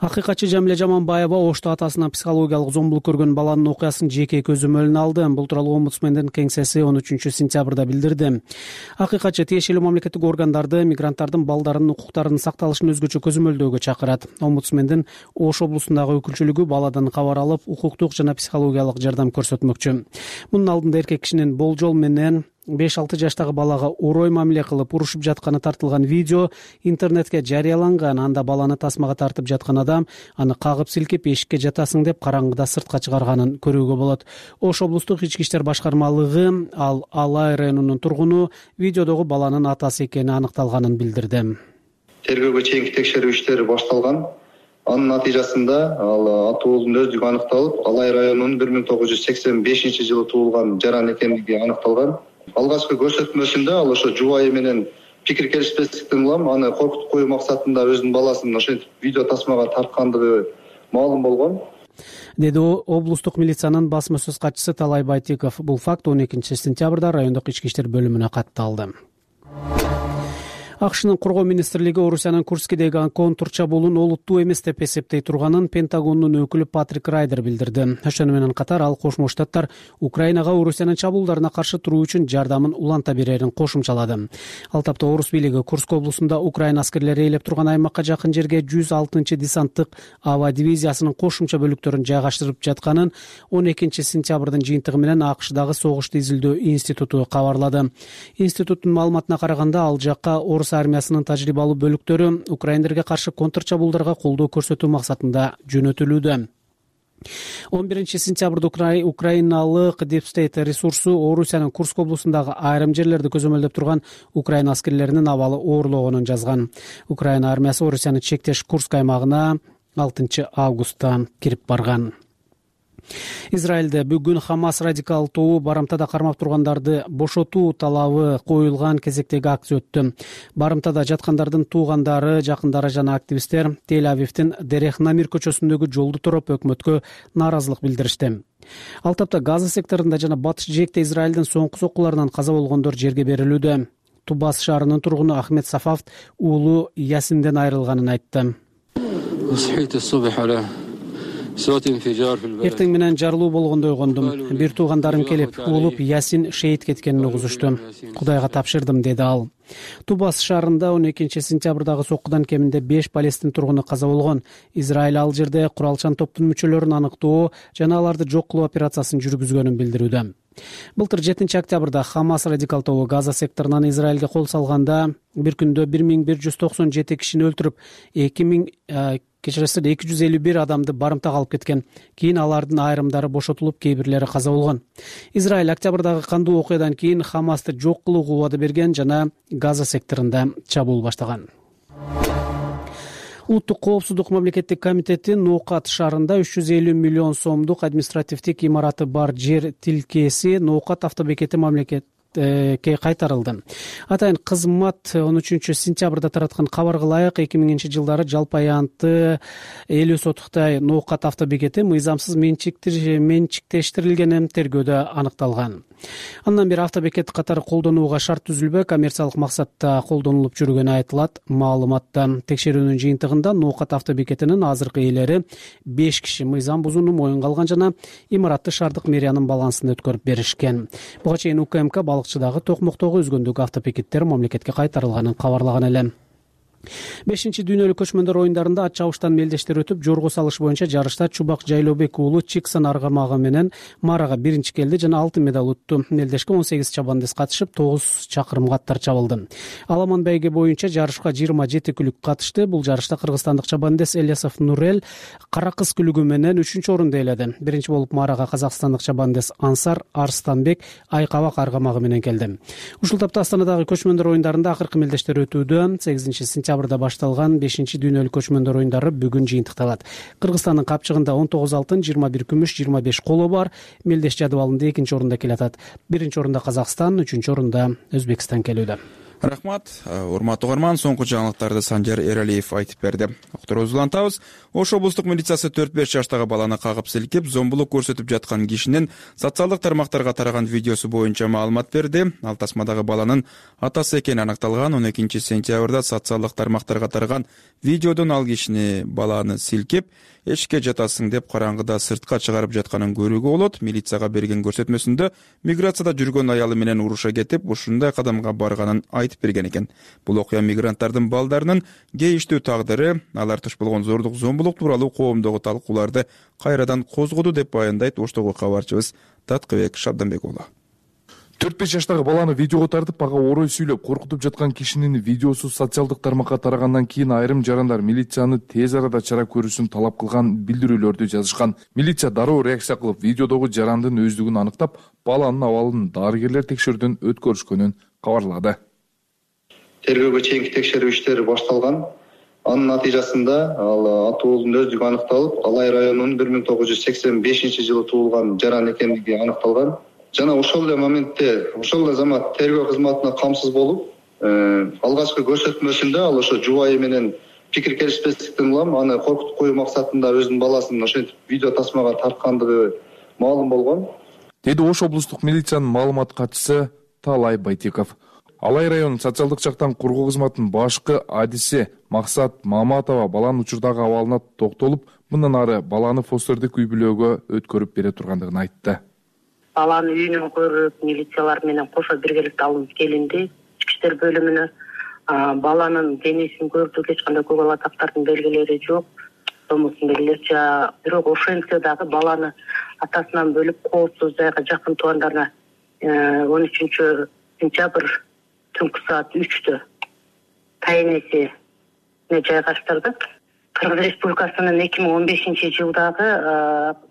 Speaker 4: Акыйкатчы Жамиле Жаманбаева Ошто атасынан психологиялык зомбулук көргөн баланын окуясын жеке көзөмөлүнө алды. Бул тууралуу омбудсмендин кеңсеси 13 сентябрда билдирди. Акыйкатчы тиешелүү мамлекеттик органдарды мигранттардын балдарынын укуктарынын сакталышын өзгөчө көзөмөлдөөгө чакырат. Омбудсмендин Ош облусундагы өкүлчүлүгү баладан кабар алып, укуктук жана психологиялык жардам көрсөтмөкчү. Мунун алдында эркек кишинин болжол менен 5-6 жаштагы балага урой мамиле кылып урушуп жатканы тартылган видео интернетке жарыяланган. Анда баланы тасмага тартып жаткан адам аны кагып силкип эшикке жатасың деп караңгыда сыртка чыгарганын көрүүгө болот. Ош облустук ички иштер башкармалыгы ал Алай районунун тургуну видеодогу баланын атасы экени аныкталганын билдирди.
Speaker 20: Тергөөгө чейинки текшерүү иштери башталган. Анын натыйжасында ал атуулдун өздүгү аныкталып, Алай районунун 1985-жылы туулган жаран экендиги аныкталган. Алгачкы көрсөтмөсүндө ал ошо жубайы менен пикир келишпестиктен улам аны коркутуп коюу максатында өзүнүн баласын ошентип видео тасмага тарткандыгы маалым болгон,
Speaker 4: деди облустук милициянын басма сөз катчысы Талай Байтиков. Бул факт 12 сентябрда райондук ички иштер бөлүмүнө катталды. АКШнын коргоо министрлиги Орусиянын Курскидеги контур чабуулун олуттуу эмес деп эсептей турганын Пентагондун өкүлү Патрик Райдер билдирди. Ошону менен катар ал Кошмо Штаттар Украинага Орусиянын чабуулдарына каршы туруу үчүн жардамын уланта берерин кошумчалады. Ал тапта Орус бийлиги Курск облусунда Украина аскерлери ээлеп турган аймакка жакын жерге 106-десанттык аба дивизиясынын кошумча бөлүктөрүн жайгаштырып жатканын 12 сентябрдын жыйынтыгы менен АКШдагы согушту изилдөө институту кабарлады. Институттун маалыматына караганда, ал жакка Орус армиясынын тажрыйбалуу бөлүктөрү украиндерге каршы контр чабуулдарга колдоо көрсөтүү максатында жөнөтүлүүдө. 11 сентябрда украиналык Deep State ресурсу Орусиянын Курск облусундагы айрым жерлерди көзөмөлдөп турган Украина аскерлеринин абалы оорлогонун жазган. Украина армиясы Орусиянын чектеш Курск аймагына 6 августта кирип барган. Израилде бүгүн Хамас радикал тобу барымтада кармап тургандарды бошотуу талабы коюлган кезектеги акция өттү. Барымтада жаткандардын туугандары, жакындары жана активисттер Тель-Авивдин Дерех Намир көчөсүндөгү жолду туруп өкмөткө нааразылык билдиришти. Ал тапта Газа секторунда жана Батыш Жээкте Израилдин соңку соккуларынан каза болгондор жерге берилүүдө. Тубас шаарынын тургуну Ахмед Сафав уулу Ясинден айрылганын айтты. Эртең менен жарылуу болгондой угундум. Бир туугандарым келип, уулуп Ясин шейит кеткенин угузушту. Кудайга тапшырдым, деди ал. Тубас шаарында 12 сентябрдагы соккудан кеминде 5 Палестин тургуну каза болгон. Израиль ал жерде куралчан топтун мүчөлөрүн аныктоо жана аларды жок кылуу операциясын жүргүзгөнүн билдирүүдө. Былтыр 7 октябрда Хамас радикал тобу Газа секторунан Израилге кол салганда бир күндө 1197 кишини өлтүрүп, 251 адамды барымтага алып кеткен. Кийин алардын айрымдары бошотулуп, кейбирлери каза болгон. Израиль октябрдагы кандуу окуядан кийин Хамасты жок кылууга убада берген жана Газа секторунда чабуул баштаган. Улуттук коопсуздук мамлекеттик комитети Ноокат шаарында 350 миллион сомдук административдик имараты бар жер тилкеси Ноокат автобекети мамлекетке кайтарылды. Атайын кызмат 13 сентябрда тараткан кабарга ылайык 2000-жылдары жалпы аянты 50 сотуктай Ноокат автобекети мыйзамсыз менчиктештирилгени тергөөдө аныкталган. Андан бери автобекет катары колдонууга шарт түзүлбөй, коммерциялык максатта колдонулуп жүргөнү айтылат. Маалыматта текшерүүнүн жыйынтыгында Ноокат автобекетинин азыркы ээлери 5 киши мыйзам бузууну моюнга алган жана имаратты шаардык мэриянын балансына өткөрүп беришкен. Буга чейин УКМК балыкчыдагы токмоктогу өзгөндөгү автобекеттер мамлекетке кайтарылганын кабарлаган эле. 5-дүйнөлүк көчмөндөр оюндарында ат чабыштан мелдештер өтүп, жорго салыш боюнча жарышта Чубак Жайлообек уулу Чиксан аргамагы менен Марага биринчи келди жана алтын медаль утту. Мелдешке 18 чабандес катышып, 9 чакырымга аттар чабылды. Аламан байге боюнча жарышка 27 күлүк катышты. Бул жарышта кыргызстандык чабандес Элиясов Нурел кара кыз күлүгү менен 3-орунду ээледи. Биринчи болуп Марага казакстандык чабандес Ансар Арстанбек Айкабак аргамагы менен келди. Ушул тапта Астанадагы көчмөндөр оюндарында акыркы мелдештер өтүүдө. 8 сентябрда башталган 5-дүйнөлүк көчмөндөр оюндары бүгүн жыйынтыкталат. Кыргызстандын капчыгында 19 алтын, 21 күмүш, 25 коло бар. Мелдеш жадыбалында 2-орунда келатат. 1-орунда Казакстан, 3-орунда Өзбекстан келүүдө.
Speaker 2: Рахмат. Урматтуу угарман, соңку жаңылыктарды Санжар Эралиев айтып берди. Окторубузду улантабыз. Ош облустук милициясы 4-5 жаштагы баланы кагып силкип, зомбулук көрсөтүп жаткан кишинин социалдык тармактарга тараган видеосу боюнча маалымат берди. Ал тасмадагы баланын атасы экени аныкталган. 12 сентябрда социалдык тармактарга тараган видеодон ал кишини баланы силкип, эшикке жатасың деп караңгыда сыртка чыгарып жатканын көрүүгө болот. Милицияга берген көрсөтмөсүндө миграцияда жүргөн аялы менен уруша кетип, ушундай кадамга барганын айтып берген экен. Бул окуя мигранттардын балдарынын кейиштүү тагдыры, алар туш болгон зордук, зомбулук тууралуу коомдогу талкууларды кайрадан козгоду деп баяндайт Оштогу кабарчыбыз Таткыбек Шабданбек уулу.
Speaker 21: 4-5 жаштагы баланы видеого тартып, ага орой сүйлөп коркутуп жаткан кишинин видеосу социалдык тармакка тарагандан кийин айрым жарандар милицияны тез арада чара көрүүсүн талап кылган билдирүүлөрдү жазышкан. Милиция дароо реакция кылып, видеодогу жарандын өздүгүн аныктап, баланын абалын дарыгерлер текшерүүдөн өткөрүшкөнүн кабарлады.
Speaker 20: Тергөөгө чейинки текшерүү иштери башталган. Анын натыйжасында ал атуулдун өздүгү аныкталып, Алай районунун 1985-жылы туулган жаран экендиги аныкталган. Жана ошол эле моментте, ошол эле замат тергөө кызматына камсыз болуп, алгачкы көрсөтмөсүндө ал ошо жубайы менен пикир келишпестиктен улам аны коркутуп коюу максатында өзүнүн баласын ошентип видео тасмага тарткандыгы маалым болгон,
Speaker 21: деди Ош облустук милициянын маалымат катчысы Талай Байтеков. Алай районунун социалдык жактан коргоо кызматынын башкы адиси Максат Маматова баланын учурдагы абалына токтолуп, мындан ары баланы фостердик үй бүлөгө өткөрүп бере тургандыгын айтты.
Speaker 22: Баланы үйүнөн көрүп, милициялар менен кошо биргеликте алынып келинди. Ички иштер бөлүмүнө баланын денесин көрдүк, эч кандай көк ала тактардын белгилери жок. Сомусун белгилерчи, бирок ошентсе дагы баланы атасынан бөлүп коопсуз жайга жакын туугандарына 13 сентябрь түнкү саат 3-тө тайынесине жайгаштырды. Кыргыз Республикасынын 2015-жылдагы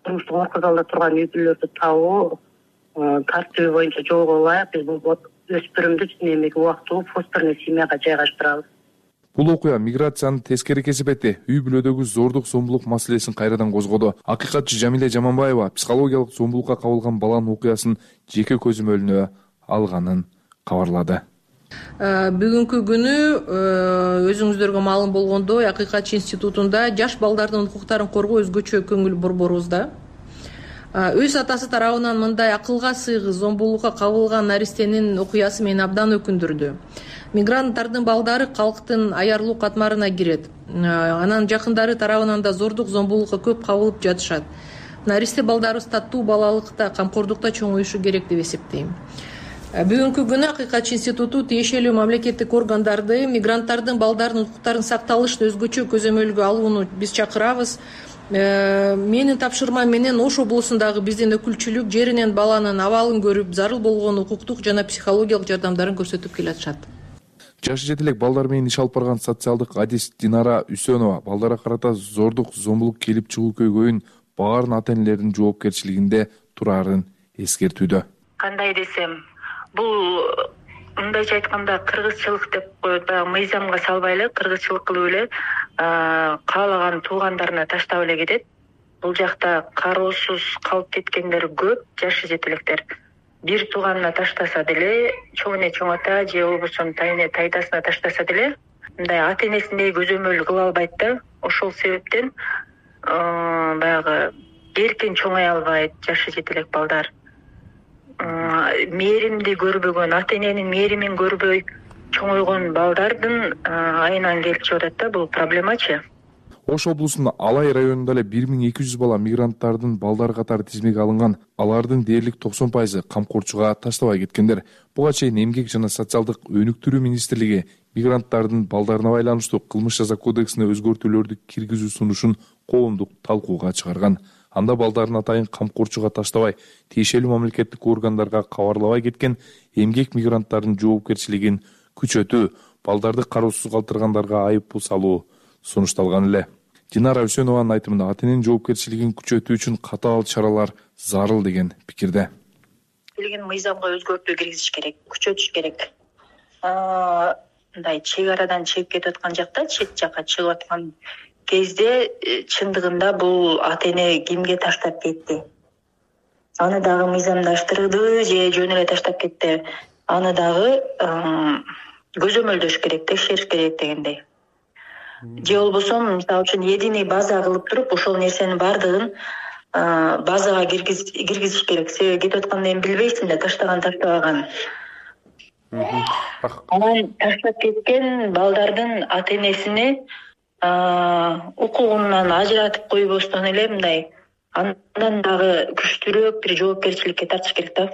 Speaker 22: турмуштук оор кырдаалда турган үй бүлөлөрдү табуу тартиби боюнча жолго ылайык биз бул өспүрүмдү эмеге убактылуу фостерный семьяга жайгаштырабыз.
Speaker 21: Бул окуя миграциянын тескери кесепети, үй бүлөдөгү зордук, зомбулук маселесин кайрадан козгоду. Акыйкатчы Жамиле Жаманбаева психологиялык зомбулукка кабылган баланын окуясын жеке көзөмөлүнө алганын кабарлады.
Speaker 23: Бүгүнкү күнү өзүңүздөргө маалым болгондой, Акыйкатчы институтунда жаш балдардын укуктарын коргоо өзгөчө көңүл борборубуз да. Өз атасы тарабынан мындай акылга сыйгыз зомбулукка кабылган наристенин окуясы мени абдан өкүндүрдү. мигранттардын балдары калктын аярлуу катмарына кирет. Анан жакындары тарабынан да зордук зомбулукка көп кабылып жатышат. Наристе балдарыбыз таттуу балалыкта, камкордукта чоңоюшу керек деп эсептейм. Бүгүнкү күнү Акыйкатчы институту тиешелүү мамлекеттик органдарды мигранттардын балдарынын укуктарын сакталышты өзгөчө көзөмөлгө алууну биз чакырабыз. Менин тапшырмам менен Ош облусундагы биздин өкүлчүлүк жеринен баланын абалын көрүп, зарыл болгон укуктук жана психологиялык жардамдарын көрсөтүп келатышат.
Speaker 21: Жашы жете элек балдар менен иш алып барган социалдык адис Динара Үсөнова балдарга карата зордук, зомбулук келип чыгуу көйгөйүн баарын ата-энелердин жоопкерчилигинде турарын эскертүүдө.
Speaker 3: Кандай десем, бул мындайча айтканда кыргызчылык деп коет, баягы мыйзамга салбай эле кыргызчылык кылып эле каалаган туугандарына таштап эле кетет. Бул жакта кароосуз калып кеткендер көп, жашы жетелектер. Бир тууганына таштаса деле, чоң эне чоң ата же болбосо тайне тайдасына таштаса деле, мындай ата-энесиндей көзөмөл кыла албайт да. Ошол себептен баягы эркин чоңой албайт жашы жетелек балдар. Мээримди көрбөгөн, ата-эненин мээримин көрбөй чоңойгон балдардын айынан келип чыгып атат да, бул проблемачы.
Speaker 21: Ош облусунун Алай районунда эле 1200 бала мигранттардын балдары катары тизмеге алынган. Алардын дээрлик 90% камкорчуга таштабай кеткендер. Буга чейин Эмгек жана социалдык өнүктүрүү министрлиги мигранттардын балдарына байланыштуу кылмыш жаза кодексине өзгөртүүлөрдү киргизүү сунушун коомдук талкууга чыгарган. Анда балдарын атайын камкорчуга таштабай, тиешелүү мамлекеттик органдарга кабарлабай кеткен эмгек мигранттардын жоопкерчилигин күчөтүү, балдарды кароосуз калтыргандарга айып пул салуу сунушталган эле. Динара Үсөнованын айтымында ата-эненин жоопкерчилигин күчөтүү үчүн катаал чаралар зарыл деген пикирде.
Speaker 3: Билген мыйзамга өзгөртүү киргизиш керек, күчөтүш керек. Мындай чек арадан чегип кетип аткан жакта, чет жакка чыгып аткан кезде чындыгында бул ата-эне кимге таштап кетти? Аны дагы мыйзамдаштырды же жөн эле таштап кетти? Аны дагы көзөмөлдөш керек, текшериш керек дегендей. Же болбосо мисалы үчүн единый база кылып туруп, ошол нерсенин баардыгын базага киргизиш керек. Себеби кетип аткандан кийин билбейсиң да, таштаган таштабаган. Анан таштап кеткен балдардын ата-энесине укугунан ажыратып койбостон эле мындай андан дагы күчтүүрөөк бир жоопкерчиликке тартыш керек да.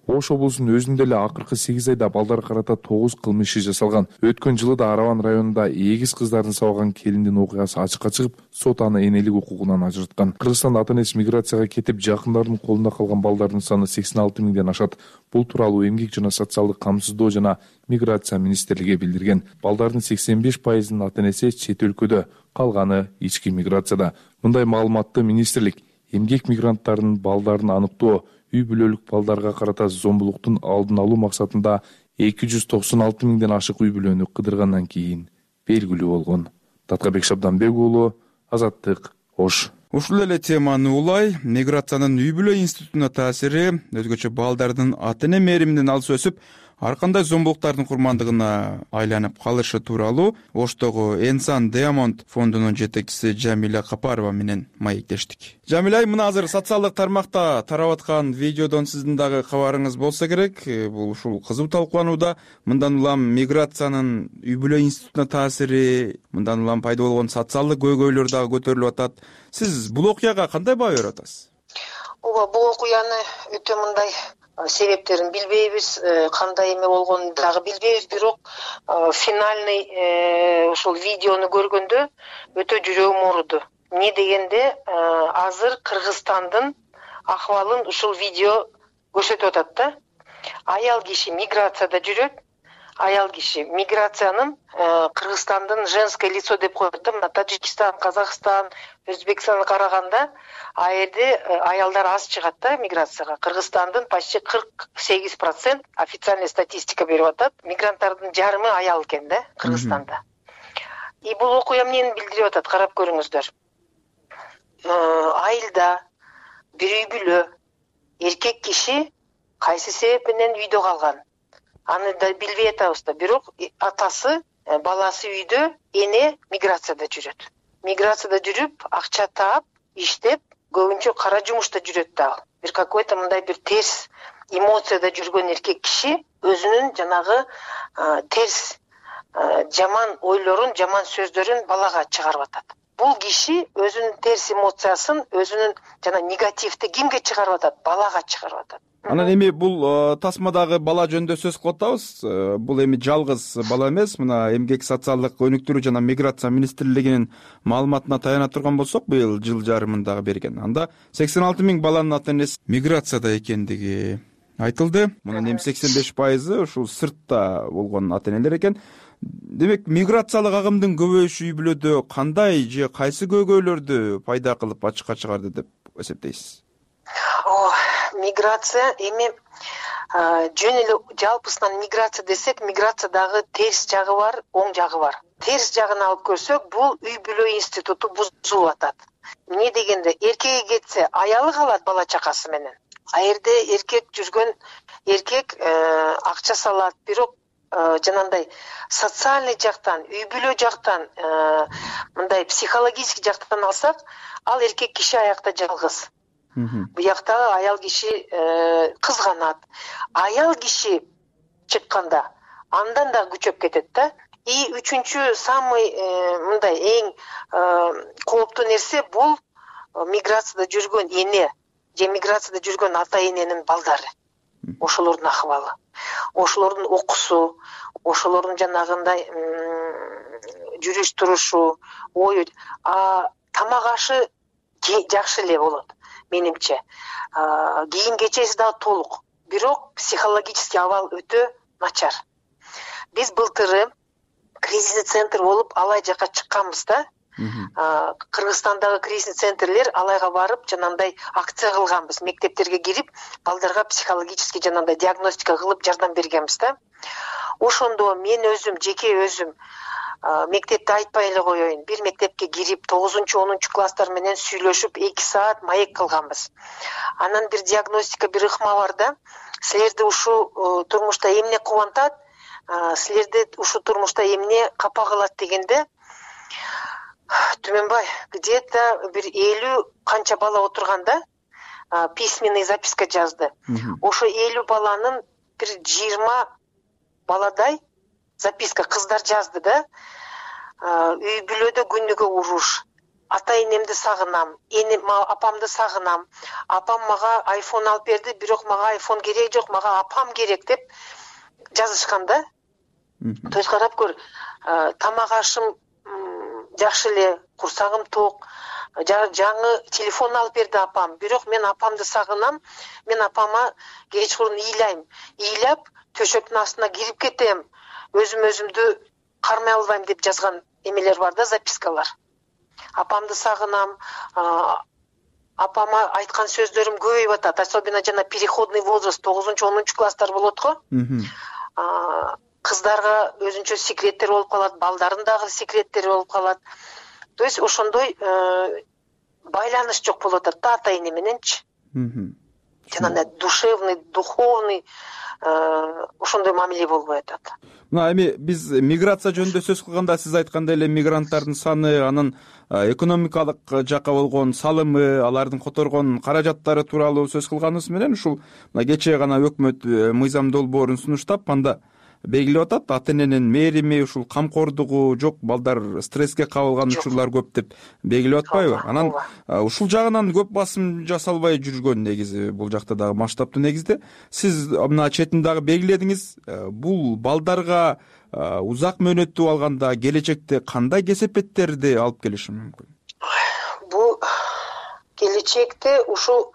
Speaker 21: Ош облусунун өзүндө эле акыркы 8 айда балдар карата 9 кылмыш иши жасалган. Өткөн жылы да Араван районунда эгиз кыздардын сабаган келиндин окуясы ачыкка чыгып, сот аны энелик укугунан ажыраткан. Кыргызстанда ата-энеси миграцияга кетип, жакындарынын колунда калган балдардын саны 86 миңден ашат. Бул тууралуу Эмгек жана социалдык камсыздоо жана миграция министрлиги билдирген. Балдардын 85%-ынын ата-энеси чет өлкөдө, калганы ички миграцияда. Мындай маалыматты министрлик эмгек мигранттарынын балдарын аныктоо, үй бүлөлүк балдарга карата зомбулуктун алдын алуу максатында 296 миңден ашык үй бүлөнү кыдыргандан кийин белгилүү болгон. Таткабек Шабданбек уулу, Азаттык, Ош.
Speaker 2: Ушул эле теманы улай миграциянын үй бүлө институтуна таасири, өзгөчө балдардын ата-эне мээриминин алыс өсүп, ар кандай зомбулуктардын курмандыгына айланып калышы тууралуу Оштогу Энсан Диамонд фондунун жетекчиси Жамиля Капарова менен маектештик. Жамиля, мына азыр социалдык тармакта тарап аткан видеодон сиздин дагы кабарыңыз болсо керек. Бул ушул кызуу талкууланууда. Мындан улам миграциянын үй бүлө институтуна таасири, мындан улам пайда болгон социалдык көйгөйлөр дагы көтөрүлүп атат. Сиз бул окуяга кандай баа берип атасыз?
Speaker 5: Ооба, бул окуяны өтө мындай себептерин билбейбиз, кандай эме болгонун дагы билбейбиз, бирок финальный ошол видеону көргөндө өтө жүрөгүм ооруду. Эмне дегенде, азыр Кыргызстандын акыбалын ушул видео көрсөтүп атат да. Аял киши миграцияда жүрөт. Аял киши миграциянын Кыргызстандын женское лицо деп коет да. Мына Таджикистан, Казакстан, Өзбекстанга караганда а жерде аялдар аз чыгат да миграцияга. Кыргызстандын почти 48% официальный статистика берип атат. Мигранттардын жарымы аял экен да Кыргызстанда. И бул окуя эмнени билдирип атат, карап көрүңүздөр. Айылда бир үй бүлө эркек киши кайсы себеп менен үйдө калган. Аны да билбей атабыз да, бирок атасы, баласы үйдө, эне миграцияда жүрөт. Миграцияда жүрүп, акча таап, иштеп, көбүнчө кара жумушта жүрөт да. Бир какой-то мындай бир терс эмоцияда жүргөн эркек киши өзүнүн жанагы терс жаман ойлорун, жаман сөздөрүн балага чыгарып атат. Бул киши өзүнүн терс эмоциясын, өзүнүн жана негативди кимге чыгарып атат? Балага чыгарып атат.
Speaker 2: Анан эми бул тасмадагы бала жөнүндө сөз кылып атабыз. Бул эми жалгыз бала эмес. Мына эмгек социалдык өнүктүрүү жана миграция министрлигинин маалыматына таяна турган болсок, быйыл жыл жарымындагы берген. Анда 86 000 баланын ата-энеси миграцияда экендиги айтылды. Мунун эми 85% ушул сыртта болгон ата-энелер экен. Демек, миграциялык агымдын көбөйүшү үй бүлөдө кандай же кайсы көйгөйлөрдү пайда кылып ачыкка чыгарды деп эсептейсиз?
Speaker 5: Миграция эми жөн эле жалпысынан миграция десек, миграциядагы терс жагы бар, оң жагы бар. Терс жагын алып көрсөк, бул үй бүлө институту бузулуп атат. Эмне дегенде, эркекке кетсе, аялы калат бала чакасы менен. А жерде эркек жүргөн эркек акча салат, бирок жанагындай социальный жактан, үй бүлө жактан, мындай психологический жактан алсак, ал эркек киши аякта жалгыз. Буяктагы аял киши кызганат. Аял киши чыкканда андан да күчөп кетет да. И үчүнчү самый мындай эң кооптуу нерсе бул миграцияда жүргөн эне же миграцияда жүргөн ата-эненин балдары. Ошолордун акыбалы, ошолордун окуусу, ошолордун жанагындай жүрүш турушу, ою, тамак ашы жакшы эле болот менимче. Кийим кечеси дагы толук, бирок психологический абал өтө начар. Биз былтыры кризисный центр болуп алай жака чыкканбыз да. Кыргызстандагы кризисный центрлер алайга барып, жанагындай акция кылганбыз. Мектептерге кирип, балдарга психологический жанагындай диагностика кылып жардам бергенбиз да. Ошондо мен өзүм, жеке өзүм мектепте айтпай эле коеюн, бир мектепке кирип 9-10 класстар менен сүйлөшүп 2 саат маек кылганбыз. Анан бир диагностика, бир ыкма бар да. Силерди ушу турмушта эмне кубантат, силерди ушу турмушта эмне капа кылат дегенде, Түмөнбай, где-то бир 50 канча бала отурганда письменный записка жазды. Ошо 50 баланын бир 20 баладай записка кыздар жазды да. Үй бүлөдө күнүгө уруш, ата-энемди сагынам, апамды сагынам, апам мага айфон алып берди, бирок мага айфон керек жок, мага апам керек деп жазышкан да. То есть карап көр, тамак ашым жакшы эле, курсагым ток, жаңы телефон алып берди апам, бирок мен апамды сагынам, мен апама кечкурун ыйлайм, ыйлап төшөктүн астына кирип кетем, өзүмдү кармай албайм деп жазган эмелер бар да, запискалар. Апамды сагынам, апама айткан сөздөрүм көбөйүп атат, особенно жана переходный возраст 9-10 класстар болот го. Кыздарга өзүнчө секреттер болуп калат, балдардын дагы секреттери болуп калат. То есть ошондой байланыш жок болуп атат да ата-эне мененчи. Жанагындай душевный, духовный ошондой мамиле болбой атат.
Speaker 2: Мына эми биз миграция жөнүндө сөз кылганда сиз айткандай эле мигранттардын саны, анын экономикалык жакка болгон салымы, алардын которгон каражаттары тууралуу сөз кылганыбыз менен ушул мына кечээ гана өкмөт мыйзам долбоорун сунуштап, анда белгилеп атат, ата-эненин мээрими, ушул камкордугу жок, балдар стресске кабылган учурлар көп деп белгилеп атпайбы? Анан ушул жагынан көп басым жасалбай жүргөн негизи бул жакта дагы масштабтуу негизде. Сиз мына четин дагы белгиледиңиз, бул балдарга узак мөөнөттүү алганда келечекте кандай кесепеттерди алып келиши мүмкүн?
Speaker 5: Бул келечекте ушул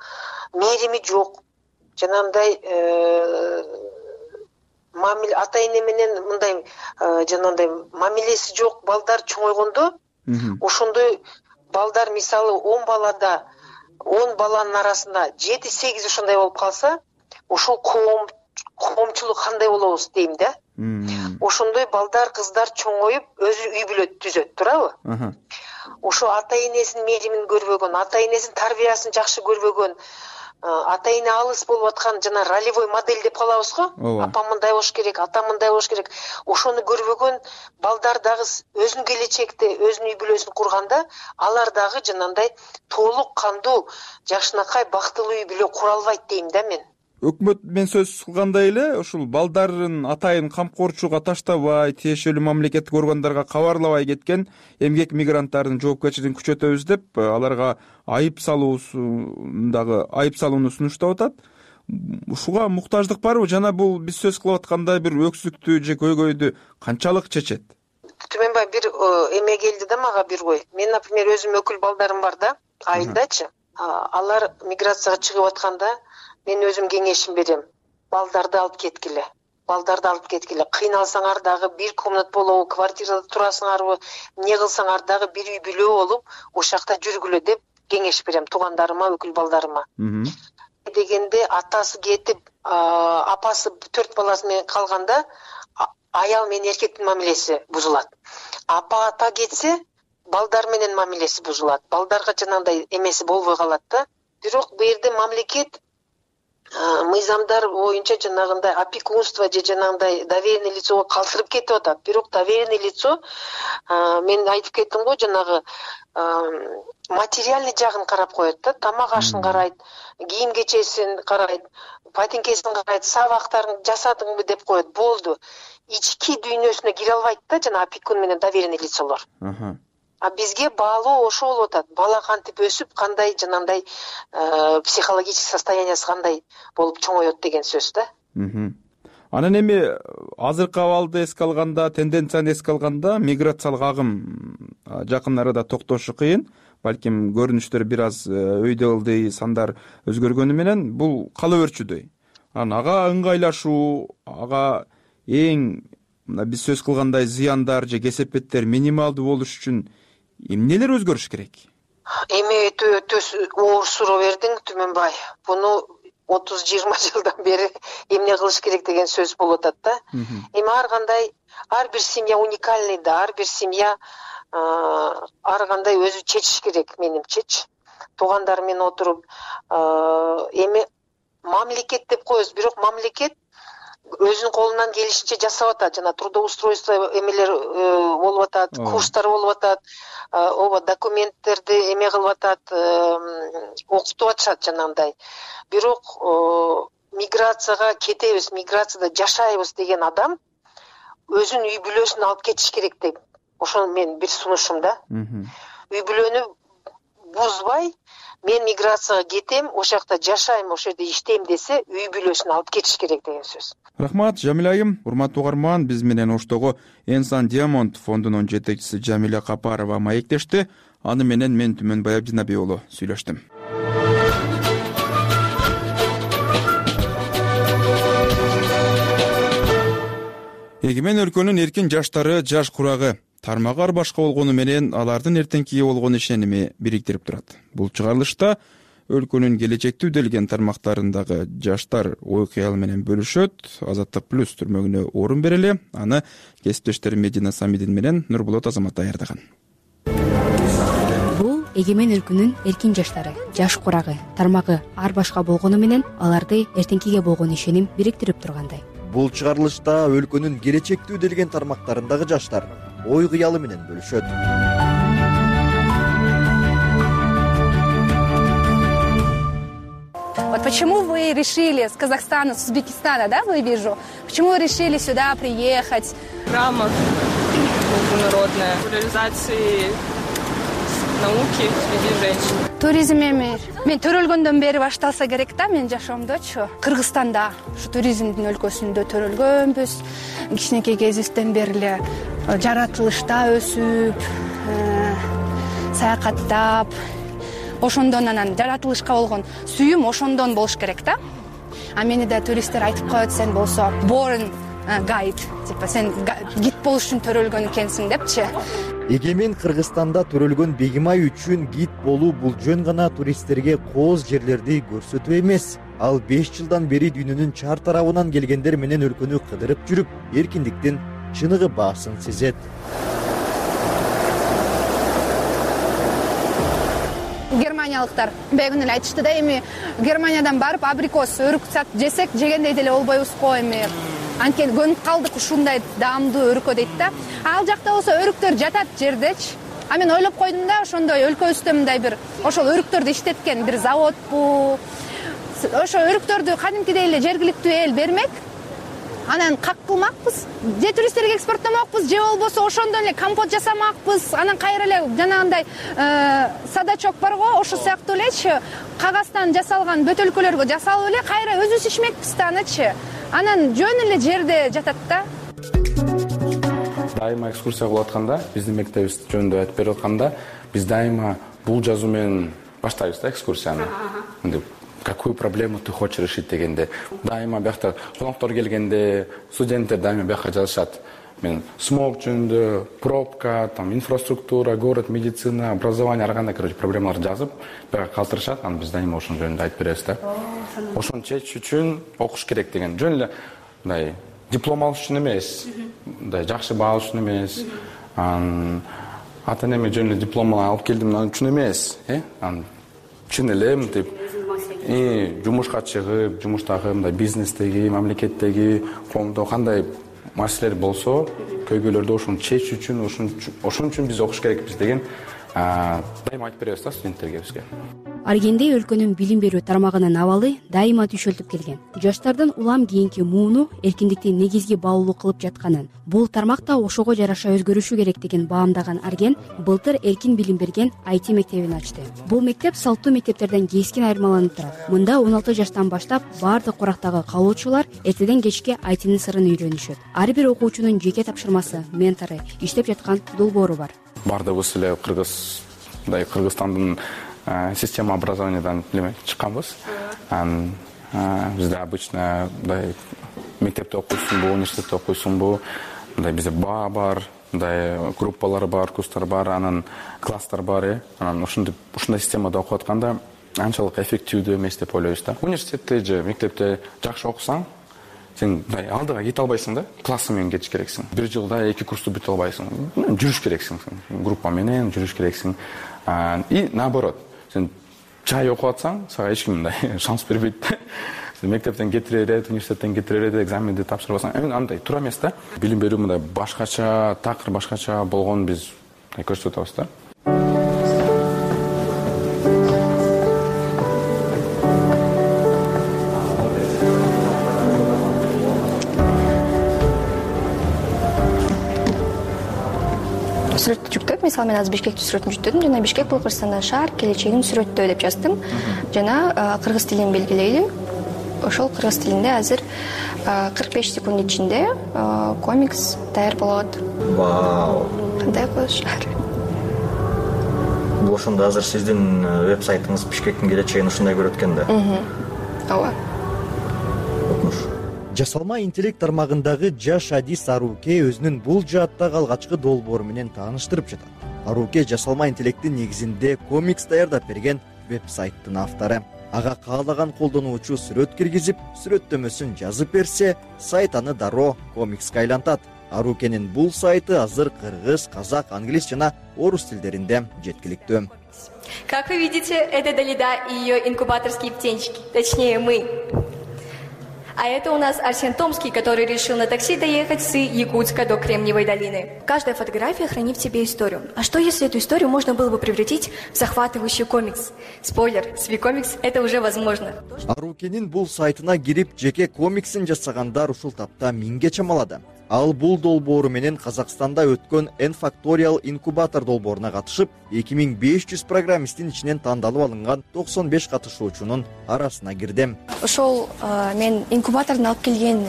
Speaker 5: мээрими жок, жанагындай ата-эне менен мындай жанагындай мамилеси жок балдар чоңойгондо, ошондой балдар мисалы 10 балада 10 баланын арасында 7-8 ошондой болуп калса, ошол коомчулук кандай болобуз дейм да. Ошондой балдар, кыздар чоңоюп өзү үй бүлө түзөт, туурабы? Ошо ата-энесинин мээримин көрбөгөн, ата-энесинин тарбиясын жакшы көрбөгөн, ата-эне алыс болуп аткан жана ролевой модель деп калабыз го. Апам мындай болуш керек, атам мындай болуш керек. Ошону көрбөгөн балдар дагы өзүнүн келечекте, өзүнүн үй бүлөсүн курганда, алар дагы жанагындай толук кандуу, жакшынакай бактылуу үй бүлө кура албайт дейм да мен.
Speaker 2: өкмөт менен сөз кылгандай эле ушул балдарын атайын камкорчууга таштабай, тиешелүү мамлекеттик органдарга кабарлабай кеткен эмгек мигранттардын жоопкерчилигин күчөтөбүз деп аларга айып салууну сунуштап атат. Ушуга муктаждык барбы жана бул биз сөз кылып аткандай бир өксүктү же көйгөйдү канчалык чечет?
Speaker 5: Түмөнбай бир эме келди да мага бир ой. Мен, например, өзүм өкүл балдарым бар да, айылдачы. Алар миграцияга чыгып атканда мен өзүм кеңешим берем. Балдарды алып кеткиле. Кыйналсаңар дагы бир комнат болобу, квартирада турасыңарбы, эмне кылсаңар дагы бир үй бүлө болуп, ошакта жүргүлө деп кеңеш берем туугандарыма, өкүл балдарыма. Дегенде атасы кетип, апасы 4 баласы менен калганда аял менен эркектин мамилеси бузулат. Апа ата кетсе, балдар менен мамилеси бузулат. Балдарга жанагындай эмеси болбой калат да. Бирок бу жерде мамлекет мыйзамдар боюнча жанагындай опекунство же жанагындай доверенный лицого калтырып кетип атат. Бирок доверенный лицо мен айтып кеттим го, жанагы материальный жагын карап коет да, тамак ашын карайт, кийим кечесин карайт, патинкесин карайт, сабактарын жасадыңбы деп коет, болду. Ички дүйнөсүнө кире албайт да жана опекун менен доверенный лицолор. А бизге баалоо ошо болуп атат. Бала кантип өсүп, кандай жанагындай психологический состояниясы кандай болуп чоңоет деген сөз да.
Speaker 2: Анан эми азыркы абалды эске алганда, тенденцияны эске алганда, миграциялык агым жакын арада токтошу кыйын. Балким көрүнүштөр бир аз өйдө ылдый, сандар өзгөргөнү менен бул кала берчүдөй. Ага ыңгайлашуу, ага эң биз сөз кылгандай зыяндар же кесепеттер минималдуу болуш үчүн эмнелер өзгөрүш керек?
Speaker 5: Эми өтө оор суроо бердиң, Түмөнбай. Буну 30-20 жылдан бери эмне кылыш керек деген сөз болуп атат да. Эми ар бир семья уникальный да, ар бир семья ар кандай өзү чечиш керек, менимчечи. Туугандар менен отуруп, эми мамлекет деп коебуз, бирок мамлекет өзүнүн колунан келишинче жасап атат. Жана трудоустройство эмелер болуп атат, курстар болуп атат, ооба документтерди эме кылып атат, окутуп атышат жанагындай. Бирок миграцияга кетебиз, миграцияда жашайбыз деген адам өзүнүн үй бүлөсүн алып кетиш керек деп. Ошол мен бир сунушум да. Үй бүлөнү бузбай, мен миграцияга кетем, ошакта жашайм, ошол жерде иштейм десе, үй бүлөсүн алып кетиш керек деген сөз.
Speaker 2: Рахмат, Жамиля айым. Урматтуу угарман, биз менен оштогу Энсан Диамонд фондунун жетекчиси Жамиля Капарова маектешти. Аны менен мен Түмөнбай Абдинабий уулу сүйлөштүм. Эгемен өлкөнүн эркин жаштары жаш курагы тармагы ар башка болгону менен алардын эртеңкиге болгон ишеними бириктирип турат. Бул чыгарылышта өлкөнүн келечекте үдөлгөн тармактарындагы жаштар ой кыял менен бөлүшөт. Азаттык плюс түрмөгүнө орун берели. Аны кесиптештерим Медина Самидин менен Нурбулот Азамат даярдаган.
Speaker 1: Бул Эгемен өлкөнүн эркин жаштары жаш курагы тармагы ар башка болгону менен аларды эртеңкиге болгон ишеним бириктирип тургандай.
Speaker 12: Бул чыгарылышта өлкөнүн келечекте үдөлгөн тармактарындагы жаштар ой кыялы менен бөлүшөт.
Speaker 7: Вот почему вы решили с Казахстана, с Узбекистана, да, вы вижу? Почему вы решили сюда приехать?
Speaker 8: Программа международная популяризации науки среди женщин.
Speaker 7: Туризм эми мен төрөлгөндөн бери башталса керек да, мен жашоомдочу. Кыргызстанда ушу туризмдин өлкөсүндө төрөлгөнбүз. Кичинекей кезибизден бери эле жаратылышта өсүп, саякаттап, ошондон анан жаратылышка болгон сүйүм ошондон болуш керек да. А мени да туристтер айтып коет, сен болсо born guide, типа сен гид болуш үчүн төрөлгөн экенсиң депчи.
Speaker 12: Эгемен Кыргызстанда төрөлгөн Бегимай үчүн гид болуу бул жөн гана туристтерге кооз жерлерди көрсөтүү эмес. Ал 5 жылдан бери дүйнөнүн чар тарабынан келгендер менен өлкөнү кыдырып жүрүп, эркиндиктин чыныгы баасын сезет.
Speaker 7: Германиялыктар бегүн эле айтышты да, эми Германиядан барып абрикос, өрүк жесек жегендей деле болбойбуз го, эми анткени көнүп калдык ушундай даамдуу өрүккө дейт да. Ал жакта болсо өрүктөр жатат жердечи. А мен ойлоп койдум да, ошондой өлкөбүздө мындай бир ошол өрүктөрдү иштеткен бир заводбу, ошо өрүктөрдү кадимкидей эле жергиликтүү эл бермек, анан как кылмакпыз, же туристтерге экспорттомокпуз, же болбосо ошондон эле компот жасамакпыз, анан кайра эле жанагындай садачок барго, ошол сыяктуу элечи кагаздан жасалган бөтөлкөлөргө жасалып эле кайра өзүбүз ичмекпиз да анычы. Анан жөн эле жерде жатат да.
Speaker 6: Дайыма экскурсия кылып атканда, биздин мектебибиз жөнүндө айтып берип атканда, биз дайыма бул жазуу менен баштайбыз да экскурсияны. Какую проблему ты хочешь решить дегенде. Дайыма биякта коноктор келгенде, студенттер дайыма бияка жазышат. Мен смог жөнүндө, пробка, там инфраструктура, город, медицина, образование, ар кандай проблемаларды жазып, бияка калтырышат. Анан биз дайыма ошон жөнүндө айтып беребиз да. Ошону чечиш үчүн окуш керек деген. Жөн эле мындай диплом алыш үчүн эмес, мындай жакшы баа алыш үчүн эмес. Ата энеме жөн эле диплом алып келдим үчүн эмес, анан чын эле мынтип жумушка чыгып, жумуштагы мындай бизнестеги, мамлекеттеги, коомдо кандай маселелер болсо, көйгөйлөрдү ошону чечиш үчүн, ошон үчүн биз окуш керекпиз деген дайыма айтып беребиз да студенттерге бизге.
Speaker 1: Аргенде өлкөнүн билим берүү тармагынын абалы дайыма түшөлтүп келген. Жаштардын улам кийинки мууну эркиндикти негизги баалуу кылып жатканын, бул тармак да ошого жараша өзгөрүшү керек деген баамдаган Арген былтыр эркин билим берген IT мектебин ачты. Бул мектеп салттуу мектептерден кескин айырмаланып турат. Мында 16 жаштан баштап баардык курактагы калуучулар эртеден кечке ITнын сырын үйрөнүшөт. Ар бир окуучунун жеке тапшырмасы, ментору, иштеп жаткан долбоору бар.
Speaker 6: Бардыгыбыз эле Кыргызстандын система образованиядан чыкканбыз. Бизде обычно мындай мектепте окуйсуңбу, университетте окуйсуңбу, мындай бизде баа бар, мындай группалар бар, курстар бар, анан класстар бар. Анан ушундай системада окуп атканда анчалык эффективдүү эмес деп ойлойбуз да. Университетте же мектепте жакшы окусаң, сен мындай алдыга кете албайсың да, классы менен кетиш керексиң. Бир жылда 2 курсту бүтө албайсың. Жүрүш керексиң, группа менен жүрүш керексиң. И наоборот, сен жай окуп атсаң, сага эч ким мындай шанс бербейт да. Мектептен кетире берет, университеттен кетире берет, экзаменди тапшырбасаң, андай туура эмес да. Билим берүү мындай башкача, такыр башкача болгонун биз көрсөтүп атабыз да.
Speaker 9: Сүрөттү жүктөп, мисалы мен азыр Бишкектин сүрөтүн жүктөдүм. Жана Бишкек бул Кыргызстандын шаар, келечегин сүрөттөө деп жаздым. Жана кыргыз тилин белгилейли. Ошол кыргыз тилинде азыр 45 секунд ичинде комикс даяр болот.
Speaker 12: Вау.
Speaker 9: Кандай кылыш?
Speaker 12: Бул ошондо азыр сиздин веб-сайтыңыз Бишкектин келечегин ушундай көрөт экен да.
Speaker 9: Ооба.
Speaker 12: Жасалма интеллект тармагындагы жаш Адис Аруке өзүнүн бул жааттагы алгачкы долбоору менен тааныштырып жатат. Аруке жасалма интеллекттин негизинде комикс даярдап берген веб-сайттын автору. Ага каалаган колдонуучу сүрөт киргизип, сүрөттөмөсүн жазып берсе, сайт аны дароо комикске айлантат. Арукенин бул сайты азыр кыргыз, казак, англис жана орус тилдеринде жеткиликтүү.
Speaker 10: Как вы видите, это Далида и ее инкубаторские птенчики, точнее мы. А это у нас Арсен Томский, который решил на такси доехать с Якутска до Кремниевой долины. Каждая фотография хранит в себе историю. А что, если эту историю можно было бы превратить в захватывающий комикс? Спойлер, с Викомикс это уже возможно.
Speaker 12: Арукенин бул сайтына кирип, жеке комиксин жасагандар ушул тапта 1000ге чамалады. Ал бул долбоору менен Казакстанда өткөн N-Factorial инкубатор долбооруна катышып, 2500 программисттин ичинен тандалып алынган 95 катышуучунун арасына кирди.
Speaker 9: Ошол мен инкубатордон алып келген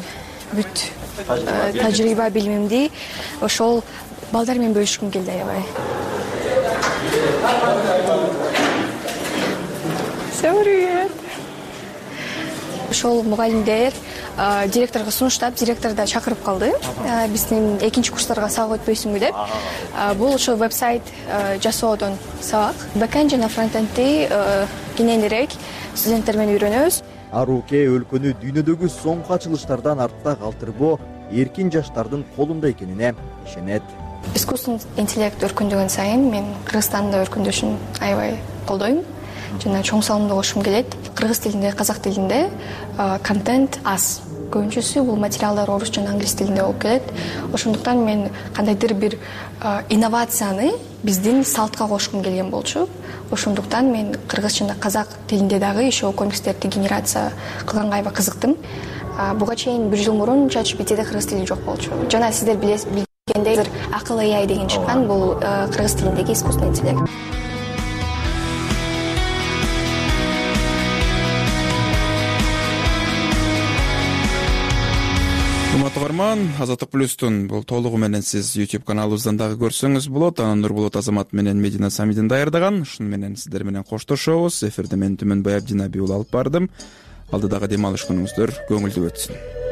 Speaker 9: бүт тажрыйба билимимди ошол балдар менен бөлүшкүм келди аябай. Ошол мугалимдер директорго сунуштап, директор да чакырып калды. Биздин экинчи курстарга сабак өтпөйсүңбү деп. Бул ошо веб-сайт жасоодон сабак. Бэкэнд жана фронтендди кененирээк студенттер менен үйрөнөбүз.
Speaker 12: Аруке өлкөнү дүйнөдөгү соңку ачылыштардан артта калтырбоо эркин жаштардын колунда экенине ишенет.
Speaker 9: Искусственный интеллект өркүндөгөн сайын мен Кыргызстанда өркүндөшүн аябай колдойм. Жана чоң салымды кошкум келет. Кыргыз тилинде, казак тилинде контент аз. көбүнчөсү бул материалдар орус жана англис тилинде болуп келет. Ошондуктан мен кандайдыр бир инновацияны биздин салтка кошкум келген болчу. Ошондуктан мен кыргыз жана казак тилинде дагы еще комикстерди генерация кылганга аябай кызыктым. Буга чейин 1 жыл мурун ChatGPT'де кыргыз тили жок болчу. Жана сиздер билгендей акыл AI деген чыккан, бул кыргыз тилиндеги искусственный интеллект.
Speaker 2: Урматтуу угарман, Азаттык плюстун бул толугу менен сиз YouTube каналыбыздан дагы көрсөңүз болот. Анан Нурбулат Азамат менен Медина Самидин даярдаган. Ушуну менен сиздер менен коштошобуз. Эфирде мен Түмөнбай Абдинаби уулу алып бардым. Алдыдагы дем алыш күнүңүздөр көңүлдүү өтсүн.